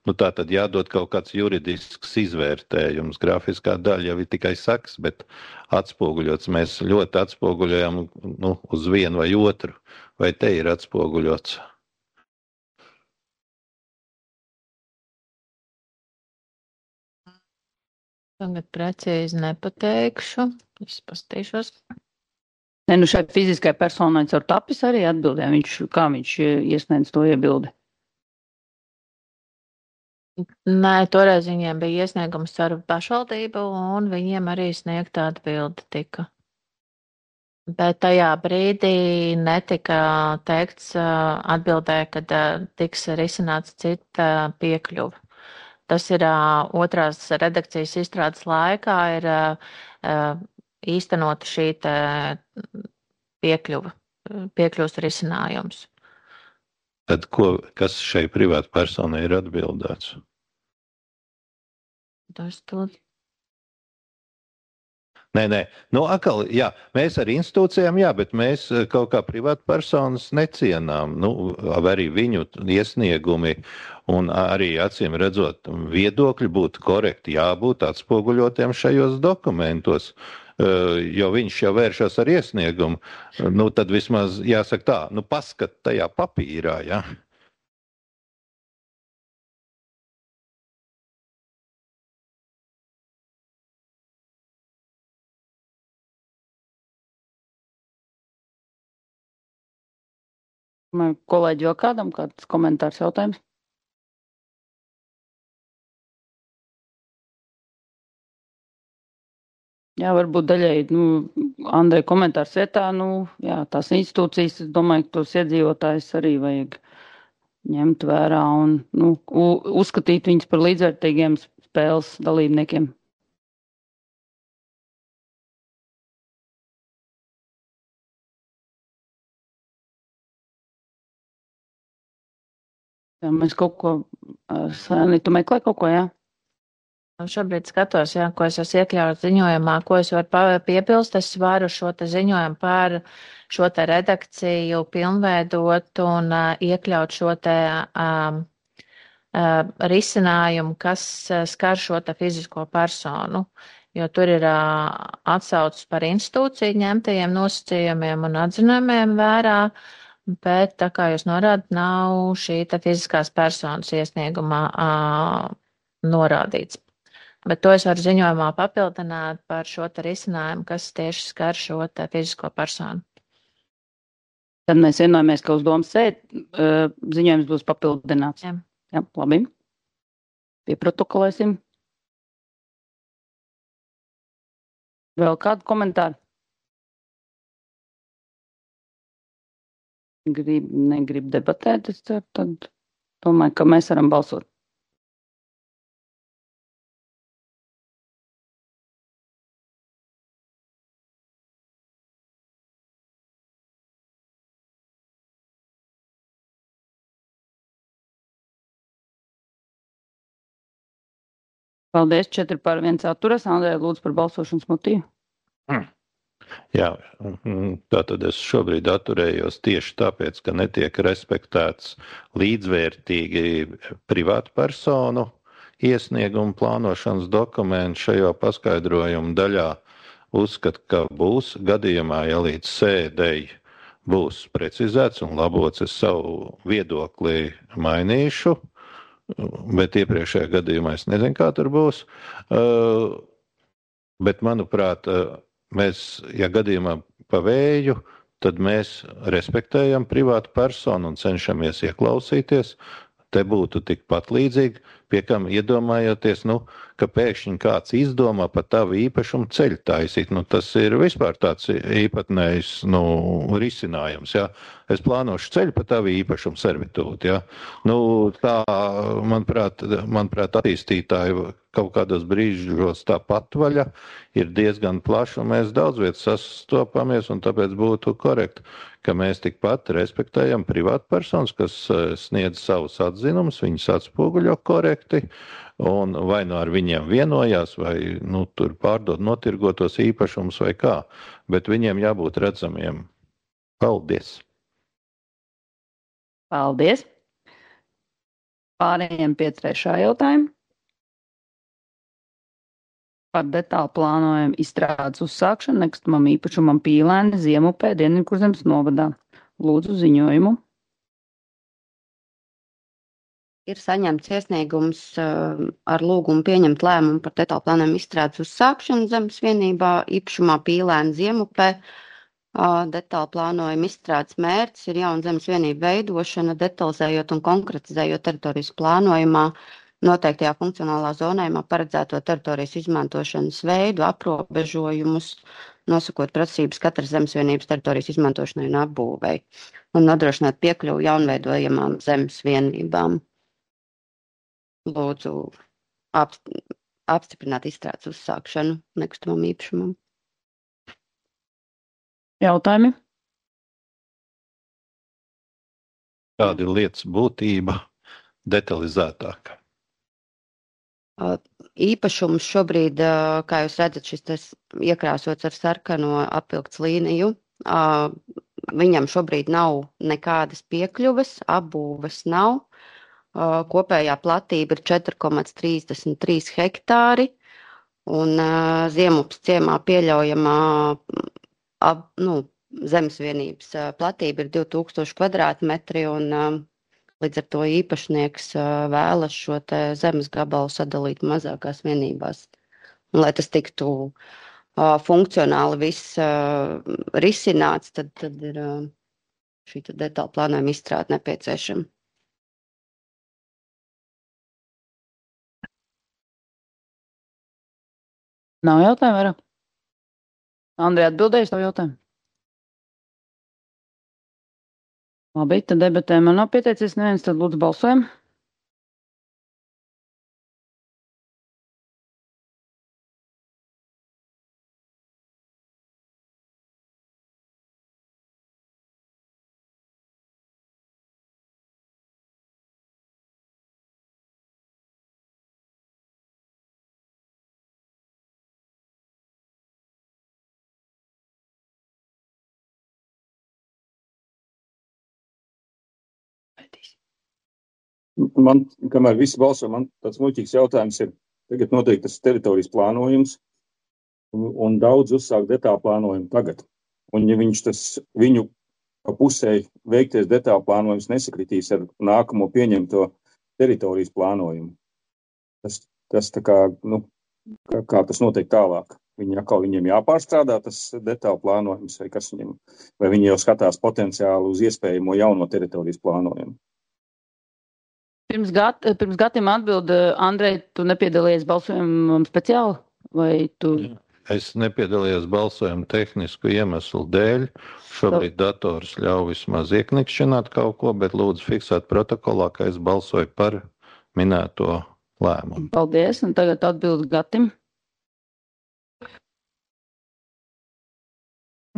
Tā tad jādod kaut kāds juridisks izvērtējums. Grafiskā daļa jau ir tikai saks, bet atspoguļots. Mēs ļoti atspoguļojam uz vienu vai otru. Vai te ir atspoguļots? Tagad precīzi nepateikšu. Es pastīšos. Šai fiziskai personai caur tapis arī atbildē. Kā viņš iesniedz to iebildi? Nē, toreiz viņiem bija iesniegums caur pašvaldību un viņiem arī sniegta atbilde tika. Bet tajā brīdī netika teikts atbildē, kad tiks risināts cita piekļuva. Tas ir otrās redakcijas izstrādes laikā ir īstenota šī piekļuvas risinājums. Tad kas šai privāta personai ir atbildēts? Nē. Nu, atkal, jā, mēs ar institūcijām, jā, bet mēs kaut kā privāta personas necienām. Nu, arī viņu iesniegumi un arī acīm redzot viedokļi būtu korekti jābūt atspoguļotiem šajos dokumentos. Jo viņš jau vēršas ar iesniegumu, nu tad vismaz jāsaka tā, nu paskat tajā papīrā, jā. Kolēģi, vēl kādam kāds komentārs jautājums? Jā, varbūt daļai, Andrei komentārs vietā, jā, tās institūcijas, es domāju, ka tos iedzīvotājus arī vajag ņemt vērā un, uzskatīt viņus par līdzvērtīgiem spēles dalībniekiem. Jā, mēs kaut ko, Sēni, tu meklē kaut ko, jā? Šobrīd skatos, jā, ko es esmu iekļauts ziņojumā, ko es varu piepilst. Es varu šo te ziņojumu par šo te redakciju pilnveidot un iekļaut šo te risinājumu, kas skar šo te fizisko personu, jo tur ir atsaucis par institūciju ņemtajiem nosacījumiem un atzinumiem vērā, bet tā kā jūs norādat, nav šī te fiziskās personas iesniegumā norādīts. Bet to es varu ziņojumā papildināt par šo te risinājumu, kas tieši skar šo te fizisko personu. Tad mēs vienojamies, ka uz domas sēdi ziņojums būs papildināts. Jā, labi. Pieprotokolēsim. Vēl kādu komentāru? Negrib debatēt, es ceru, tad domāju, ka mēs varam balsot. Paldies, 4 par 1 atturas. Andrei, lūdzu par balsošanas motīvu. Jā, tātad es šobrīd atturējos tieši tāpēc, ka netiek respektēts līdzvērtīgi privātu personu iesniegumu plānošanas dokumentu šajā paskaidrojuma daļā. Uzskatu, ka būs gadījumā, ja līdz sēdei būs precizēts un labots, es savu viedokli mainīšu, bet iepriekšējā gadījumā es nezinu, kā tur būs. Bet, manuprāt, mēs, ja gadījumā pa vēju, tad mēs respektējam privātu personu un cenšamies ieklausīties. Te būtu tikpat līdzīgi, pie kam iedomājoties, ka pēkšņi kāds izdomā par tavu īpašumu ceļu taisīt. Tas ir vispār tāds īpatnējs risinājums. Ja? Es plānošu ceļu par tavu īpašumu servitūti. Ja? Tā, manuprāt, attīstītāji kaut kādos brīžos tā patvaļa ir diezgan plaša, un mēs daudz vietas sastopamies, un tāpēc būtu korekti, ka mēs tikpat respektējam privātu personas, kas sniedz savus atzinumus, viņus atspoguļo korekti, un vai ar viņiem vienojās, vai tur pārdod notirgotos īpašumus vai kā, bet viņiem jābūt redzamiem. Paldies! Paldies! Pārējiem pie 3. jautājuma. Par detālu plānojumu izstrādes uzsākšanu nekustamam īpašumam Pīlēni Ziemupē Dienvidkurzemes novadā. Lūdzu ziņojumu. Ir saņemts iesniegums ar lūgumu pieņemt lēmumu par detālu plānojumu izstrādes uzsākšanu zemes vienībā īpašumā Pīlēni Ziemupē. Detālu plānojuma izstrādes mērķis ir jauna zemes vienība veidošana, detalizējot un konkretizējot teritorijas plānojumā noteiktajā funkcionālā zonējumā paredzēto teritorijas izmantošanas veidu, aprobežojumus, nosakot prasības katras zemes vienības teritorijas izmantošanai un apbūvei, un nodrošināt piekļuvu jaunveidojamām zemes vienībām. Lūdzu apstiprināt izstrādes uzsākšanu nekustamam īpašumam. Jautājumi? Kāda ir lietas būtība detalizētāk? Īpašums šobrīd, kā jūs redzat, šis iekrāsots ar sarkano apvilkts līniju, viņam šobrīd nav nekādas piekļuves, apbūves nav. Kopējā platība ir 4,33 hektāri, un Ziemupas ciemā pieļaujamā zemesvienības platība ir 2000 kvadrātmetri, un līdz ar to īpašnieks vēlas šo te zemes gabalu sadalīt mazākās vienībās. Un, lai tas tiktu funkcionāli viss risināts, tad ir šī detāla plānojuma izstrāde nepieciešama. Nav jautājumu vairāk? Andrija atbildēja uz tavu jautājumu? Labi, tad debatē man nav pieteicies neviens, tad lūdzu balsojam. Man, kamēr visi balso, man tāds muļķīgs jautājums ir, tagad noteikti tas teritorijas plānojums, un daudz uzsāk detālu plānojumu tagad. Un ja viņu pa pusē veikties detālu plānojums nesakritīs ar nākamo pieņemto teritorijas plānojumu, tas tā kā, kā tas notiek tālāk? Viņiem jāpārstrādā tas detālu plānojums, vai viņi jau skatās potenciāli uz iespējamo jauno teritorijas plānojumu? Pirms gadiem atbild, Andrej, tu nepiedalījies balsojumam speciāli? Vai tu? Es nepiedalījos balsojumu tehnisku iemeslu dēļ. Šobrīd dators ļauj vismaz ieknikšķināt kaut ko, bet lūdzu fiksēt protokolā, ka es balsoju par minēto lēmumu. Paldies, un tagad atbild Gatim.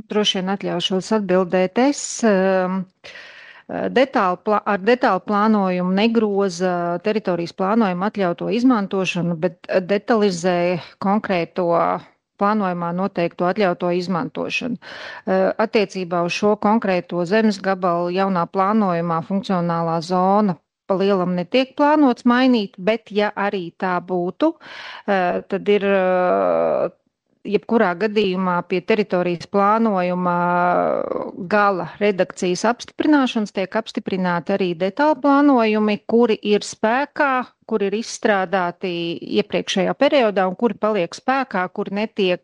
Droši vien atļaušos atbildēt es. Ar detālu plānojumu negroza teritorijas plānojumu atļauto izmantošanu, bet detalizē konkrēto plānojumā noteikto atļauto izmantošanu. Attiecībā uz šo konkrēto zemes gabalu jaunā plānojumā funkcionālā zona pa lielam netiek plānots mainīt, bet ja arī tā būtu, tad ir jebkurā gadījumā pie teritorijas plānojuma gala redakcijas apstiprināšanas tiek apstiprināti arī detāli plānojumi, kuri ir spēkā, kuri ir izstrādāti iepriekšējā periodā un kuri paliek spēkā, kuri netiek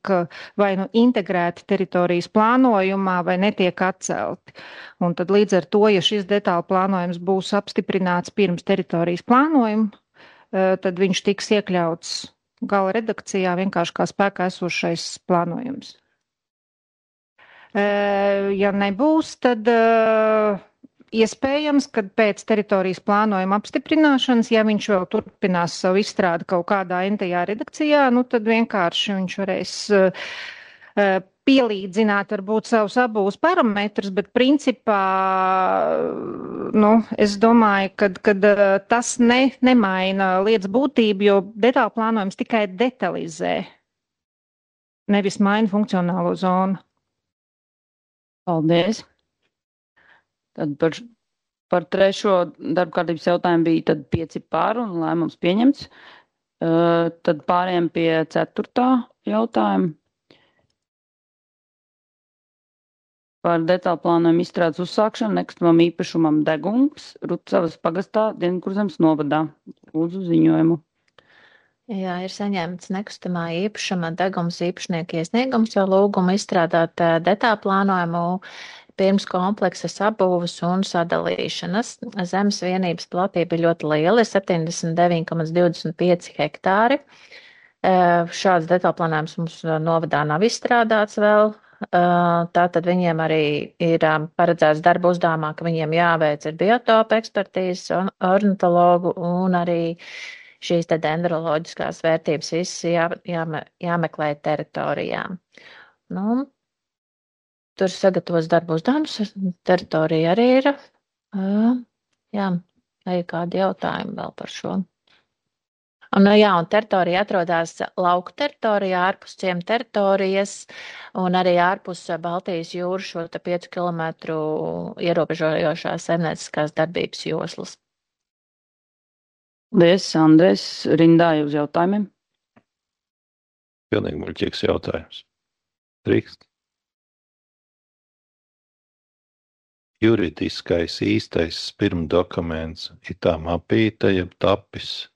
vai nu integrēti teritorijas plānojumā vai netiek atcelti. Un tad līdz ar to, ja šis detāli plānojums būs apstiprināts pirms teritorijas plānojuma, tad viņš tiks iekļauts gala redakcijā vienkārši kā spēkā esošais plānojums. Ja nebūs, tad iespējams, kad pēc teritorijas plānojuma apstiprināšanas, ja viņš vēl turpinās savu izstrādi kaut kādā entajā redakcijā, tad vienkārši viņš varēs pielīdzināt varbūt savus abūs parametrus, bet principā, es domāju, ka tas nemaina lietas būtību, jo detālu plānojums tikai detalizē, nevis maina funkcionālo zonu. Paldies. Tad par trešo darba kārtības jautājumu bija tad 5 par un lēmums pieņemts. Tad pārējām pie 4. jautājuma. Par detālu plānojumu izstrādes uzsākšanu nekustamam īpašumam Degums, Rucavas pagastā, Dienvidkurzemes novadā. Lūdzu ziņojumu. Jā, ir saņemts nekustamā īpašuma Degums īpašnieku iesniegums, jo lūgumu izstrādāt detālu plānojumu pirms kompleksas apbūves un sadalīšanas. Zemes vienības platība ir ļoti liela, ir 79,25 hektāri. Šāds detālu plānojums mums novadā nav izstrādāts vēl. Tātad viņiem arī ir paredzēts darba uzdevumā, ka viņiem jāveic ir biotopa ekspertīzes, ornitologu un arī šīs te dendroloģiskās vērtības visas jāmeklē teritorijām. tur sagatavos darbu uzdevumus, teritorija arī ir. Jā, vai kādi jautājumi vēl par šo? Un teritorija atrodas lauku teritorijā, ārpus ciema teritorijas un arī ārpus Baltijas jūras šo 5 kilometru ierobežojošās saimnieciskās darbības joslas. Paldies, Andrēs. Rindā uz jautājumiem. Pilnīgi muļķīgs jautājums. Drīkst. Juridiskais īstais pirmdokuments ir tā mapīte, jeb tapis.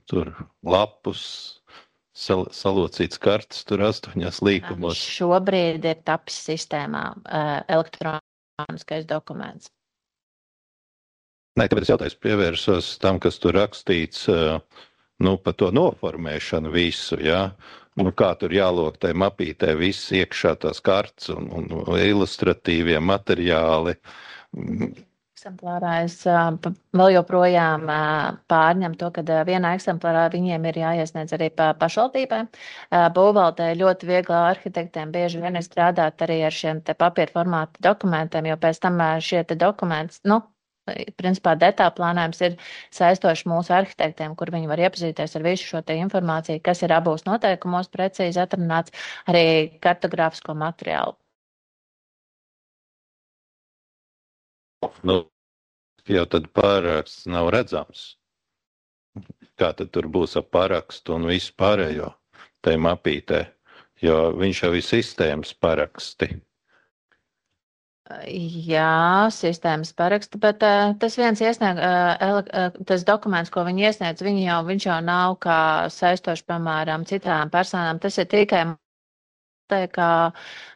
Tur lapus, salocīts kartas, tur 8 līkumos. Šobrīd ir tapis sistēmā elektroniskais dokuments. Nē, tāpēc jautājums pievērsos tam, kas tur rakstīts, par to noformēšanu visu, jā. Kā tur jālok tai mapītē viss iekšā tās kartas un ilustratīvie materiāli. Eksemplārā es vēl joprojām pārņem to, ka vienā eksemplārā viņiem ir jāiesniedz arī pašvaldībai. Būvvaldē ļoti viegli arhitektiem bieži vien ir strādāt arī ar šiem te papīra formāta dokumentiem, jo pēc tam šie te dokumenti, principā detālplānojums ir saistoši mūsu arhitektiem, kur viņi var iepazīties ar visu šo te informāciju, kas ir abos noteikumos precīzi atrunāts, arī kartogrāfisko materiālu. Jau tad pāraksts nav redzams. Kā tad tur būs ar parakstu un visu pārējo tai mapītē, jo viņš jau ir sistēmas paraksti. Jā, sistēmas paraksti, bet tas viens tas dokuments, ko viņi iesniedz, viņš jau nav kā saistoši, piemēram, citām personām. Tas ir tikai kā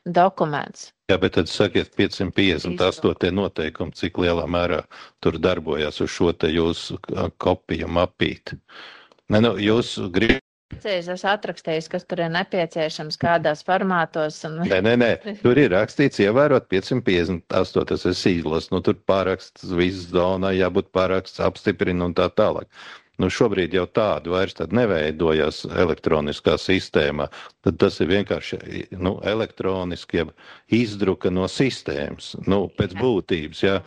dokuments. Jā, bet tad sakiet 558 noteikumi, cik lielā mērā tur darbojas uz šo te jūsu kopiju mapīti. Jūs gribat. Es atrakstīju, kas tur ir nepieciešams, kādās formātos. Nē, tur ir rakstīts ievērot 558, tas ir sīzlos, tur pāraksts viss zonā, jābūt pāraksts apstiprina un tā tālāk. Šobrīd jau tādu vairs tad neveidojas elektroniskā sistēmā, tad tas ir vienkārši elektroniski izdruka no sistēmas, pēc būtības, jā.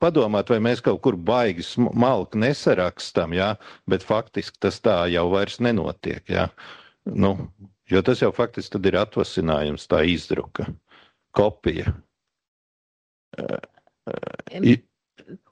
Padomāt, vai mēs kaut kur baigi malku nesarakstam, jā, bet faktiski tas tā jau vairs nenotiek, jā. Jo tas jau faktiski tad ir atvasinājums, tā izdruka, kopija.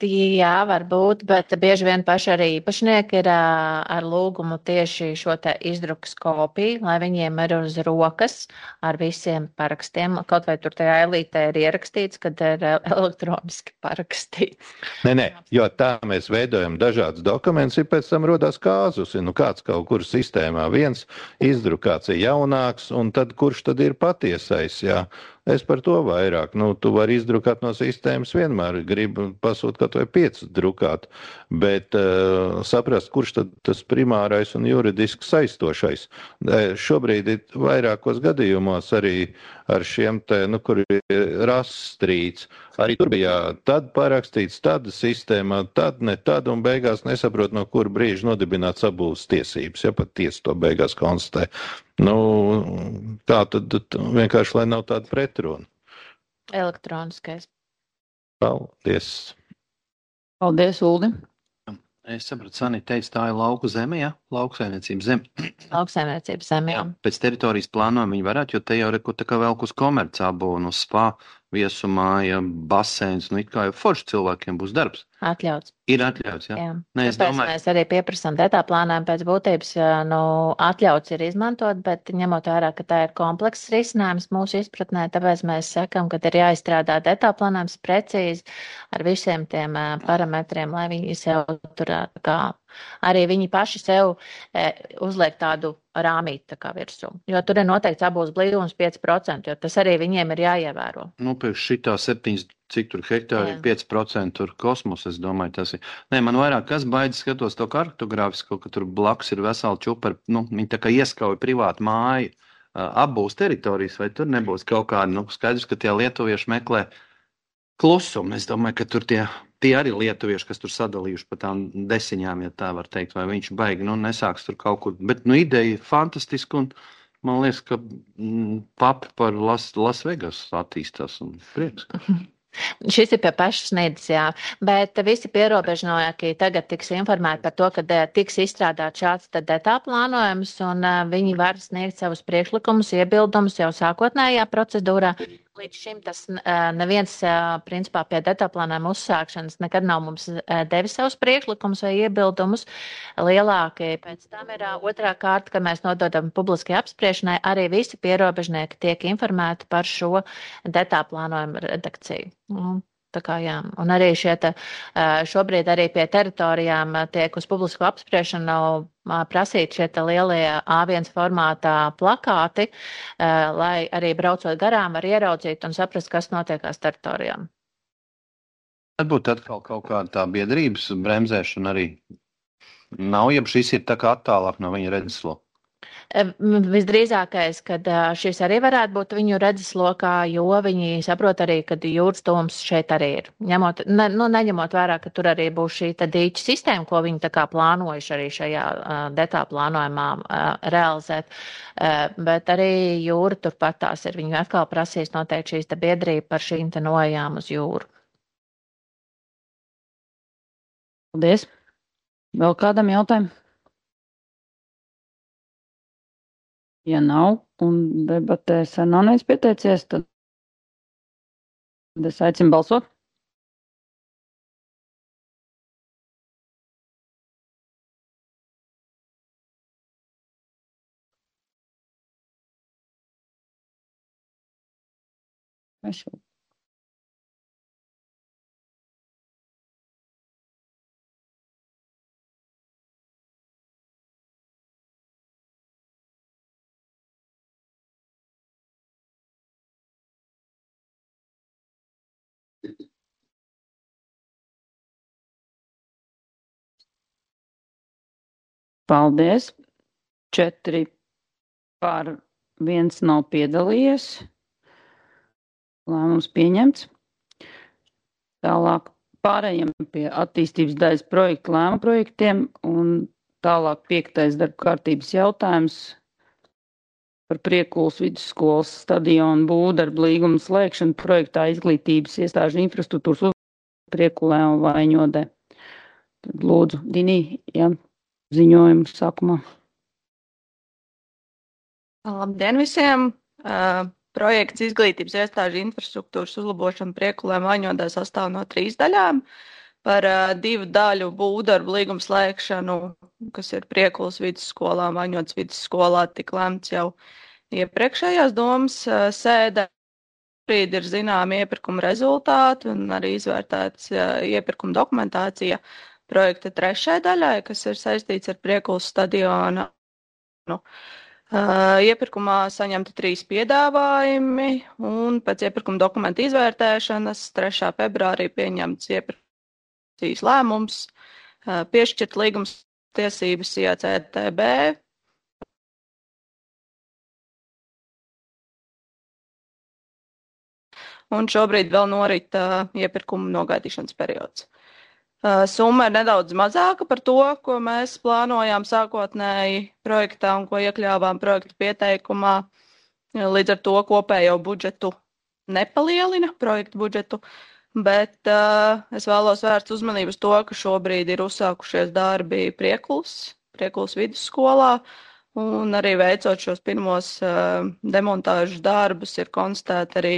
Jā, varbūt, bet bieži vien paši arī īpašnieki ir ar lūgumu tieši šo te izdrukas kopiju, lai viņiem ir uz rokas ar visiem parakstiem. Kaut vai tur tajā elītē ir ierakstīts, kad ir elektroniski parakstīts. Nē, jo tā mēs veidojam dažādas dokumentus, ir pēc tam rodās kāzus. Kāds kaut kur sistēmā viens izdrukāts ir jaunāks, un tad kurš tad ir patiesais, jā. Es par to vairāk. Tu vari izdrukāt no sistēmas vienmēr, gribu pasūt kaut vai 5 drukāt, bet saprast, kurš tad tas primārais un juridiski saistošais. Šobrīd ir vairākos gadījumos arī ar šiem te, kur ir rastrīts. Arī tur bija tad parakstīts, tad sistēmā, tad ne tad, un beigās nesaprot, no kura brīža nodibināts abūs tiesības, ja pat tiesa to beigās konstatē. Tā tad vienkārši, lai nav tāda pretruna. Elektroniskais. Paldies. Paldies, Uldi. Es sapratu, Sanita teica, tā ir lauku zeme, jā? Lauksaimniecības zeme. Lauksaimniecības zeme, jā. Pēc teritorijas plānojuma viņi varētu, jo te jau reku tā kā velk uz komercābu un uz spa, viesumāja, baseins, it kā jau forši cilvēkiem būs darbs. Atļauts. Ir atļauts, jā? Jā. Nē, es domāju. Mēs arī pieprasām detālplānojumu pēc būtības, atļauts ir izmantot, bet ņemot vērā, ka tā ir komplekss risinājums mūsu izpratnē, tāpēc mēs sakam, ka ir jāizstrādā detālplānojums precīzi ar visiem tiem parametriem, lai viņi sev tur arī viņi paši sev uzliek tādu rāmīti tā kā virsū. Jo tur ir noteikts abos blīvums 5%, jo tas arī viņiem ir jāievēro. Pēc šitā 7, cik tur hektāri, 5% tur kosmos, es domāju, tas ir. Nē, man vairāk kas baidis skatos to kartogrāfisko, ka tur blakus ir vesela čupa, viņi tā kā ieskauja privātu māju, apbūs teritorijas, vai tur nebūs kaut kāda, skaidrs, ka tie lietuvieši meklē klusumu. Es domāju, ka tur tie arī lietuvieši, kas tur sadalījuši pa tām desiņām, ja tā var teikt, vai viņš baigi, nesāks tur kaut kur. Bet, ideja fantastiska, un man liekas, ka papi par Las Vegas attīstās, un prieks. Šis ir pie pašas sniedzes, jā, bet visi pierobežnieki tagad tiks informēti par to, ka tiks izstrādāt šāds detālu plānojums, un viņi var sniegt savus priekšlikumus, iebildumus jau sākotnējā procedūrā. Līdz šim tas neviens, principā, pie detālu plānojuma uzsākšanas nekad nav mums devis savus priekšlikumus vai iebildumus. Lielākie pēc tam ir otrā kārta, kad mēs nododam publiskai apspriešanai, arī visi pierobežnieki tiek informēti par šo detālu plānojumu redakciju. Tā kā jā, un arī šobrīd arī pie teritorijām tiek uz publisku apspriešanu prasīt šie lielie A1 formātā plakāti, lai arī braucot garām var ieraudzīt un saprast, kas notiekās teritorijām. Tad būtu atkal kaut kāda tā biedrības bremzēšana arī nav, ja šis ir tā kā attālāk no viņa redzesloka. Visdrīzākais, kad šis arī varētu būt viņu redzeslokā, jo viņi saprot arī, ka jūras tūms šeit arī ir. Neņemot vērā, ka tur arī būs šī dīķa sistēma, ko viņi tā kā plānojuši arī šajā detālu plānojumā realizēt, bet arī jūra turpat tās ir. Viņi atkal prasīs noteikti šīs biedrība par šīm nojām uz jūru. Paldies. Vēl kādam jautājumu? Ja nav, un debatēs nav neviens pieteicies, tad es aicinu balsot. Paldies. 4 par 1 nav piedalījies. Lēmums pieņemts. Tālāk pārējiem pie attīstības daļas projektu lēmu projektiem un tālāk 5. darba kārtības jautājums par Priekulas vidusskolas stadionu būvdarbu līgumu slēgšanu projektā izglītības iestāžu infrastruktūras Priekulē un Vaņodē. Tad lūdzu, Dinī, ziņojumu sākumā. Labdien visiem! Projekts izglītības iestāžu infrastruktūras uzlabošana Priekulē un Vaņodē sastāv no 3 daļām. Par 2 daļu būvdarbu līgumu slēgšanu, kas ir Priekulas vidusskolā un Vaņodas vidusskolā, tik lemts jau iepriekšējās domas sēdē. Šobrīd ir zināmi iepirkuma rezultāti un arī izvērtēts iepirkuma dokumentācija projekta 3. daļai, kas ir saistīts ar Priekulas stadionu. Iepirkumā saņemti 3 piedāvājumi un pēc iepirkuma dokumenta izvērtēšanas 3. februārī pieņemts iepirkums lēmums, piešķirt līgums tiesības IACTB. Un šobrīd vēl norit iepirkuma nogaidīšanas periods. Summa ir nedaudz mazāka par to, ko mēs plānojām sākotnēji projektā un ko iekļāvām projekta pieteikumā. Līdz ar to kopējo budžetu nepalielina projektu budžetu, bet es vēlos vērst uzmanību uz to, ka šobrīd ir uzsākušies darbi Priekulas vidusskolā, un arī veicot šos pirmos demontāžas darbus ir konstatēti arī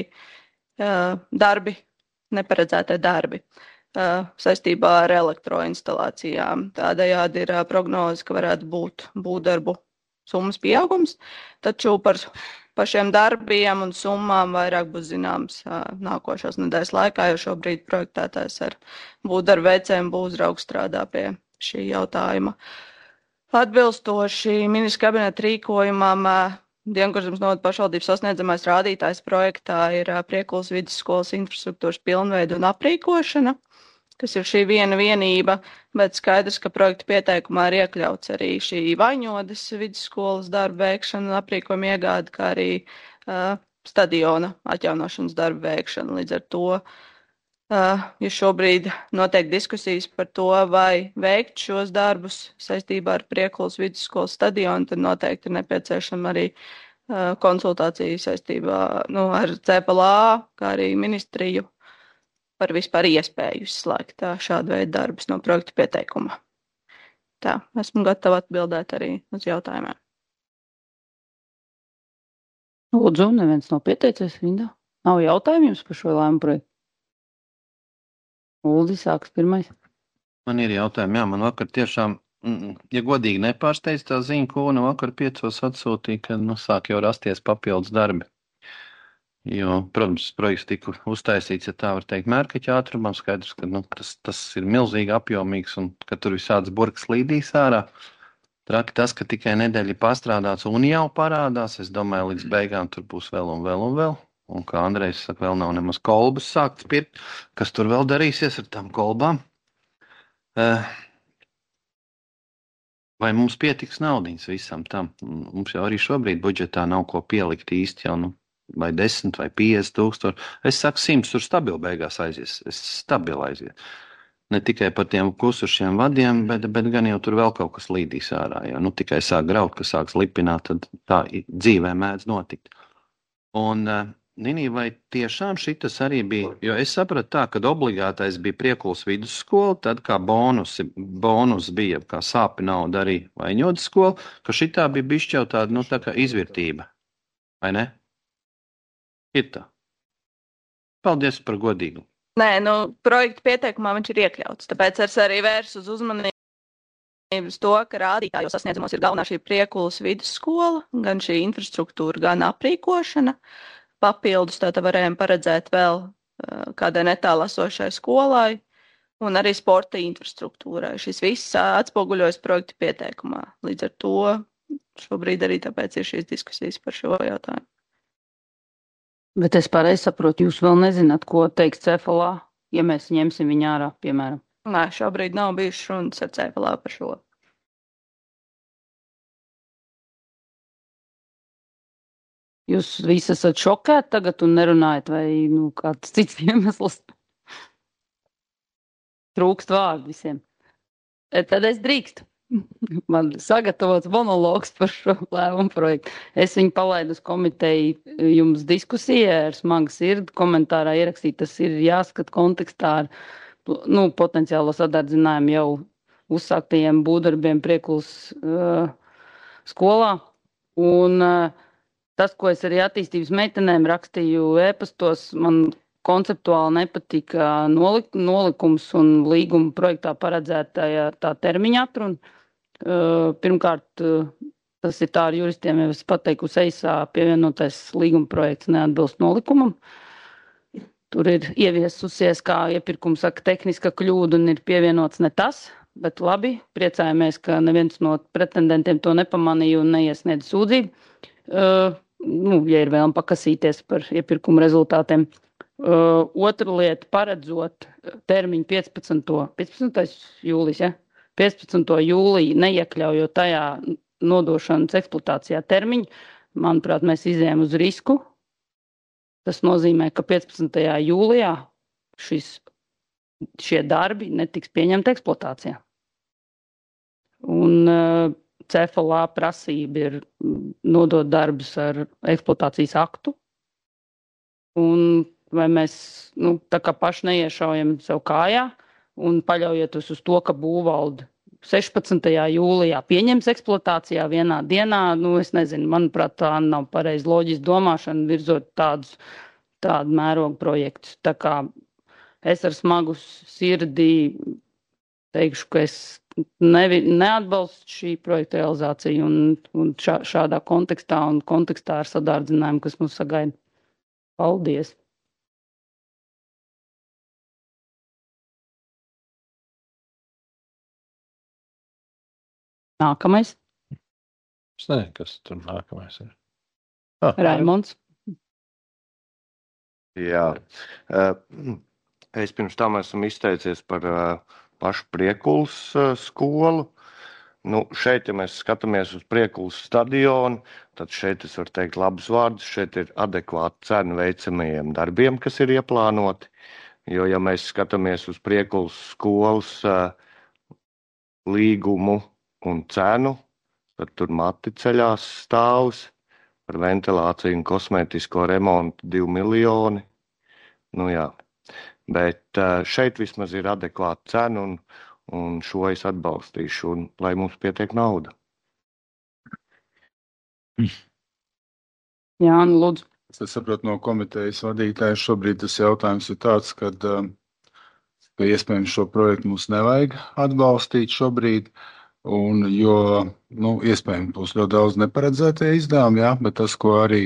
neparedzētie darbi saistībā ar elektroinstalācijām. Tādējādi ir prognoze, ka varētu būt būvdarbu summas pieaugums, taču par šiem darbiem un summām vairāk būs zināms nākošās nedēļas laikā, jo šobrīd projektētājs ar būvdarbu veicējiem būvuzraugs strādā pie šī jautājuma. Atbilstoši ministra kabineta rīkojumam, Dienkurzemes novada pašvaldības sasniedzamais rādītājs projektā ir Priekulas vidusskolas infrastruktūras pilnveida un aprīkošana, kas ir šī viena vienība, bet skaidrs, ka projekta pieteikumā ir iekļauts arī šī Vaņodas vidusskolas darba veikšana un aprīkojuma iegāde, kā arī stadiona atjaunošanas darba veikšana. Līdz ar to Ja šobrīd notiek diskusijas par to, vai veikt šos darbus saistībā ar Priekulas vidusskolas stadionu, tad noteikti ir nepieciešama arī konsultācija saistībā ar CPLA, kā arī ministriju par vispār iespēju izslēgt šādu veidu darbus no projekta pieteikuma. Tā, esmu gatava atbildēt arī uz jautājumiem. Lūdzu, neviens nav pieteicies, Vinda. Nav jautājumu jums par šo lēmumu projektu? Uldi, sāks pirmais. Man ir jautājumi, jā, man vakar tiešām, ja godīgi nepārsteidz tā ziņa, ko vakar 5 atsūtīja, ka sāk jau rasties papildus darbi. Jo, protams, projekts tika uztaisīts, ja tā var teikt, mērkaķa ātrumam, skaidrs, ka tas ir milzīgi apjomīgs un ka tur visādas burkas līdīs ārā. Traki tas, ka tikai nedēļa pastrādāts un jau parādās, es domāju, līdz beigām tur būs vēl un vēl un vēl. Un kā Andrejs saka, vēl nav nemaz kolbas sākts pirkt, kas tur vēl darīsies ar tām kolbām. Vai mums pietiks naudiņas visam tam? Mums jau arī šobrīd budžetā nav ko pielikt īsti jau, vai 10 vai 50 tūkstoši. Es saku 100, tur stabili beigās aizies. Stabili aizies. Ne tikai par tiem kusušiem vadiem, bet gan jau tur vēl kaut kas līdīs ārā. Jo tikai sāk graut, ka sāks lipināt, tad tā dzīvē mēdz notikt. Un Nini, vai tiešām šitas arī bija, jo es sapratu tā, kad obligātais bija Priekulas vidusskola, tad kā bonus bija, kā sāpi nauda arī Vaiņodas skola, ka šitā bija bišķi jau tāda, tā kā izvirtība, vai ne? Ir tā. Paldies par godīgu. Nē, projekta pieteikumā viņš ir iekļauts, tāpēc es arī vērsu uz uzmanību uz to, ka rādītājos sasniedzumos ir galvenā šī Priekulas vidusskola, gan šī infrastruktūra, gan aprīkošana. Papildus tātad varējām paredzēt vēl kādai netālu esošai skolai un arī sporta infrastruktūrai. Šis viss atspoguļojas projekta pieteikumā. Līdz ar to šobrīd arī tāpēc ir šīs diskusijas par šo jautājumu. Bet es pareizi saprotu, jūs vēl nezināt, ko teiks CFLA, ja mēs ņemsim viņu ārā, piemēram? Nē, šobrīd nav bijušas runas ar CFLA par šo. Jūs visi esat šokēti tagad un nerunājat, vai kāds cits iemesls? Trūkst vārdu visiem. Tad es drīkstu. Man sagatavots monologs par šo lēmumu projektu. Es viņu palaidu uz komiteju jums diskusijā ar smagu sirdi. Komentārā ierakstīt, tas ir jāskat kontekstā ar potenciālo sadardzinājumu jau uzsāktajiem būvdarbiem Priekulas skolā. Un tas, ko es arī attīstības meitenēm rakstīju ēpastos, man konceptuāli nepatika nolikums un līguma projektā paredzētajā tā termiņa atruna. Pirmkārt, tas ir tā ar juristiem, jau es pateikusi eisā pievienotais līguma projekts neatbilst nolikumam. Tur ir ieviesusies, kā iepirkuma saka, tehniska kļūda un ir pievienots ne tas, bet labi, priecājamies, ka neviens no pretendentiem to nepamanīja un neiesniedz sūdzību. Ja ir vēlme pakasīties par iepirkuma rezultātiem. Otra lieta, paredzot termiņu 15. jūlijas, ja? 15. jūliju neiekļaujot tajā nodošanas eksploatācijā termiņu, manuprāt, mēs izējām uz risku. Tas nozīmē, ka 15. jūlijā šie darbi netiks pieņemti eksploatācijā. Un CFLA prasība ir nodot darbus ar eksploatācijas aktu. Un vai mēs tā kā paši neiešaujam sev kājā un paļaujoties uz to, ka būvvalde 16. jūlijā pieņems eksploatācijā vienā dienā, es nezinu, manuprāt, tā nav pareizi loģiski domāšana virzot tādu mērogu projektus. Tā kā es ar smagu sirdi teikšu, ka es neatbalstu šī projekta realizāciju un šādā kontekstā un kontekstā ar sadārdzinājumu, kas mums sagaida. Paldies! Nākamais. Es nezinu, kas tur nākamais ir. Raimonds. Jā. Es pirms tam esmu izteicies par pašu Priekulas skolu. Šeit, ja mēs skatāmies uz Priekulas stadionu, tad šeit es varu teikt labus vārdus. Šeit ir adekvāta cena veicamajiem darbiem, kas ir ieplānoti. Jo, ja mēs skatāmies uz Priekulas skolas līgumu un cenu, tad tur mati ceļās stāvs par ventilāciju un kosmētisko remontu 2 miljoni. Nu jā, bet šeit vismaz ir adekvāta cena un šo es atbalstīšu, un lai mums pietiek nauda. Jāni, lūdzu. Es saprotu no komitejas vadītāja, šobrīd tas jautājums ir tāds, ka iespējams šo projektu mums nevajag atbalstīt šobrīd, jo iespējams būs ļoti daudz neparedzētie izdevumi, jā, bet tas, ko arī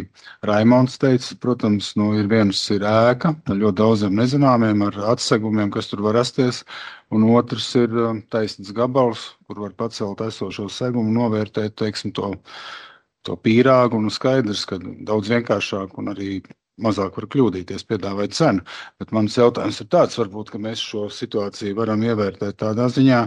Raimonds teica, protams, ir viens ir ēka, ļoti daudziem nezināmiem ar atsegumiem, kas tur var rasties, un otrs ir taisnīgs gabals, kur var pacelt esošo segumu, novērtēt, teiksim, to pīrāgu, un skaidrs, ka daudz vienkāršāk un arī mazāk var kļūdīties, piedāvāt cenu. Bet mans jautājums ir tāds, varbūt, ka mēs šo situāciju varam ievērtēt tādā ziņā,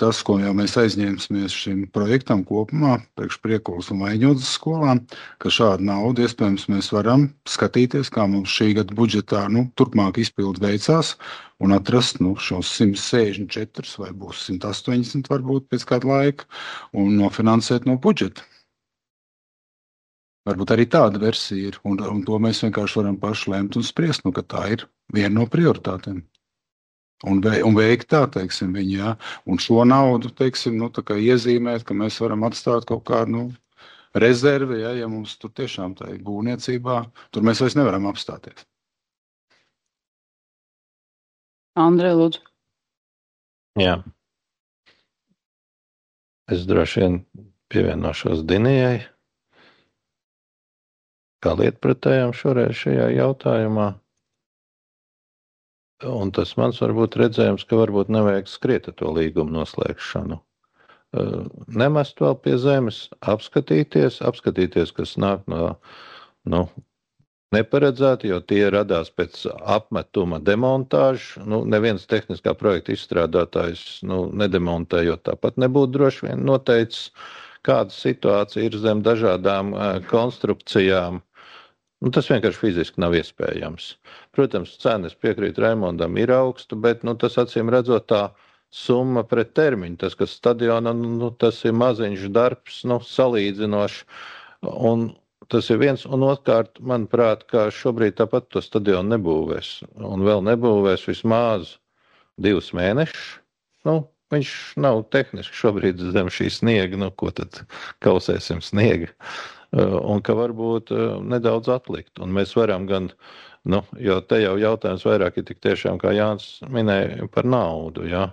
tas, ko jau mēs aizņēmsimies šim projektam kopumā, priekš Priekulas un Vaiņodzes skolām, ka šādu naudu iespējams mēs varam skatīties, kā mums šī gada budžetā turpmāk izpildu veicās un atrast šos 164 vai būs 180 varbūt pēc kāda laika un nofinansēt no budžeta. Varbūt arī tāda versija ir, un to mēs vienkārši varam paši lemt un spriest, ka tā ir viena no prioritātēm. Un veikt tā, teiksim, viņi, jā, un šo naudu, teiksim, tā kā iezīmēt, ka mēs varam atstāt kaut kādu, rezervi, ja mums tur tiešām tā ir būvniecībā, tur mēs vairs nevaram apstāties. Andrej, lūdzu. Jā. Es droši vien pievienošos Dinijai. Kā lietpratējām šoreiz šajā jautājumā. Un tas mans varbūt redzējums, ka varbūt nevajag skriet ar to līgumu noslēgšanu. Nemest vēl pie zemes, apskatīties, kas nāk no neparedzēti, jo tie radās pēc apmetuma demontāžu. Neviens tehniskā projekta izstrādātājs nedemontējot tāpat nebūtu droši vien noteicis, kāda situācija ir zem dažādām konstrukcijām. Tas vienkārši fiziski nav iespējams. Protams, cenas piekrīt Raimondam ir augsta, bet tas acīm redzot tā summa pret termiņu. Tas, kas stadionā, tas ir maziņš darbs, salīdzinoši. Un tas ir viens, un otrkārt, manuprāt, ka šobrīd tāpat to stadionu nebūvēs. Un vēl nebūvēs vismaz 2 mēnešus. Viņš nav tehniski šobrīd zem šī sniega, ko tad kausēsim sniega. Un ka varbūt nedaudz atlikt. Un mēs varam gan, jo te jau jautājums vairāk ir tik tiešām, kā Jānis minēja, par naudu, jā.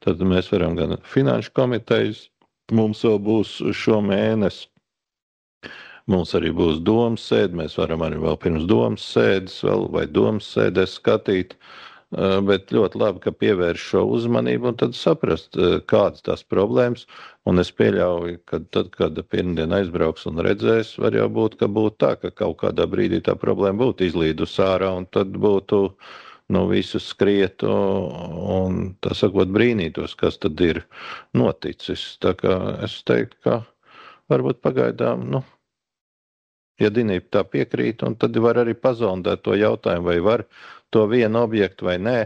Tad mēs varam gan finanšu komitejas, mums vēl būs šo mēnesi, mums arī būs domas sēde, mēs varam arī vēl pirms domas sēdes vai domas sēdēs skatīt, bet ļoti labi, ka pievērš šo uzmanību un tad saprast, kādas tās problēmas. Un es pieļauju, ka tad, kad pirmdien aizbrauks un redzēs, var jau būt, ka būtu tā, ka kaut kādā brīdī tā problēma būtu izlīdus ārā un tad būtu visus skrietu un, tā sakot, brīnītos, kas tad ir noticis. Tā kā es teiktu, ka varbūt pagaidām, ja Dinība tā piekrīt, un tad var arī pazondēt to jautājumu, vai var to vienu objektu vai nē,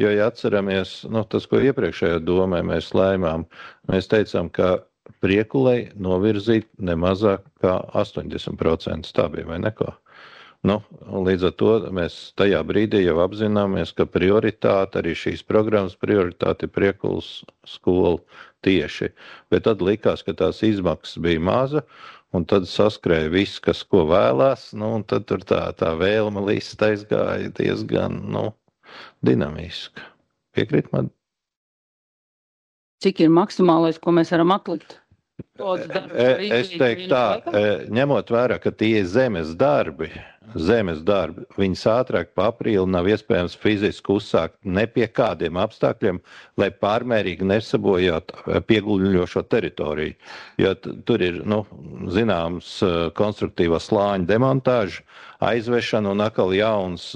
jo, ja atceramies, tas, ko iepriekšējā domē mēs lēmām, mēs teicām, ka Priekulei novirzīt nemazāk kā 80%, tā bija vai neko. Līdz ar to mēs tajā brīdī jau apzināmies, ka prioritāte, arī šīs programmas prioritāte ir Priekulas skola tieši, bet tad likās, ka tās izmaksas bija maza, un tad saskrēja viss, kas ko vēlās, un tad tur tā vēlma lista aizgāja diezgan, dinamiski. Piekrīt man? Cik ir maksimālais, ko mēs varam atlikt? Es teiktu tā, ņemot vērā, ka tie ir zemes darbi, viņas ātrāk pa aprīli nav iespējams fiziski uzsākt ne pie kādiem apstākļiem, lai pārmērīgi nesabojāt pieguļošo teritoriju. Jo tur ir, zināms, konstruktīvā slāņa demontāža, aizvešana un atkal jauns,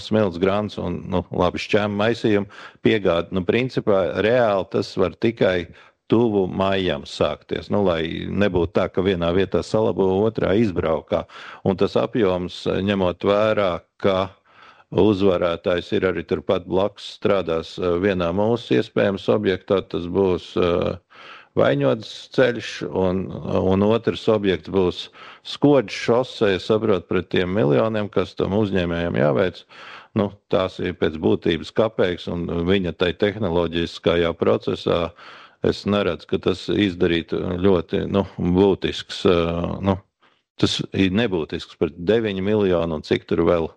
smilts grants un, labi šķēma maisījuma piegāda. Principā reāli tas var tikai tuvu maijam sākties, lai nebūtu tā, ka vienā vietā salabo, otrā izbraukā. Un tas apjoms, ņemot vērā, ka uzvarētājs ir arī turpat blakus strādās vienā mūsu iespējams objektā, tas būs Vaņodas ceļš, un otrs objekts būs Skoģis šosei, saprot, pret tiem miljoniem, kas tam uzņēmējiem jāveic. Nu, tās ir pēc būtības kapeiks, un viņa tai tehnoloģiskajā procesā es neredzu, ka tas izdarītu ļoti būtisks, tas ir nebūtisks par 9 miljonu un cik tur vēl.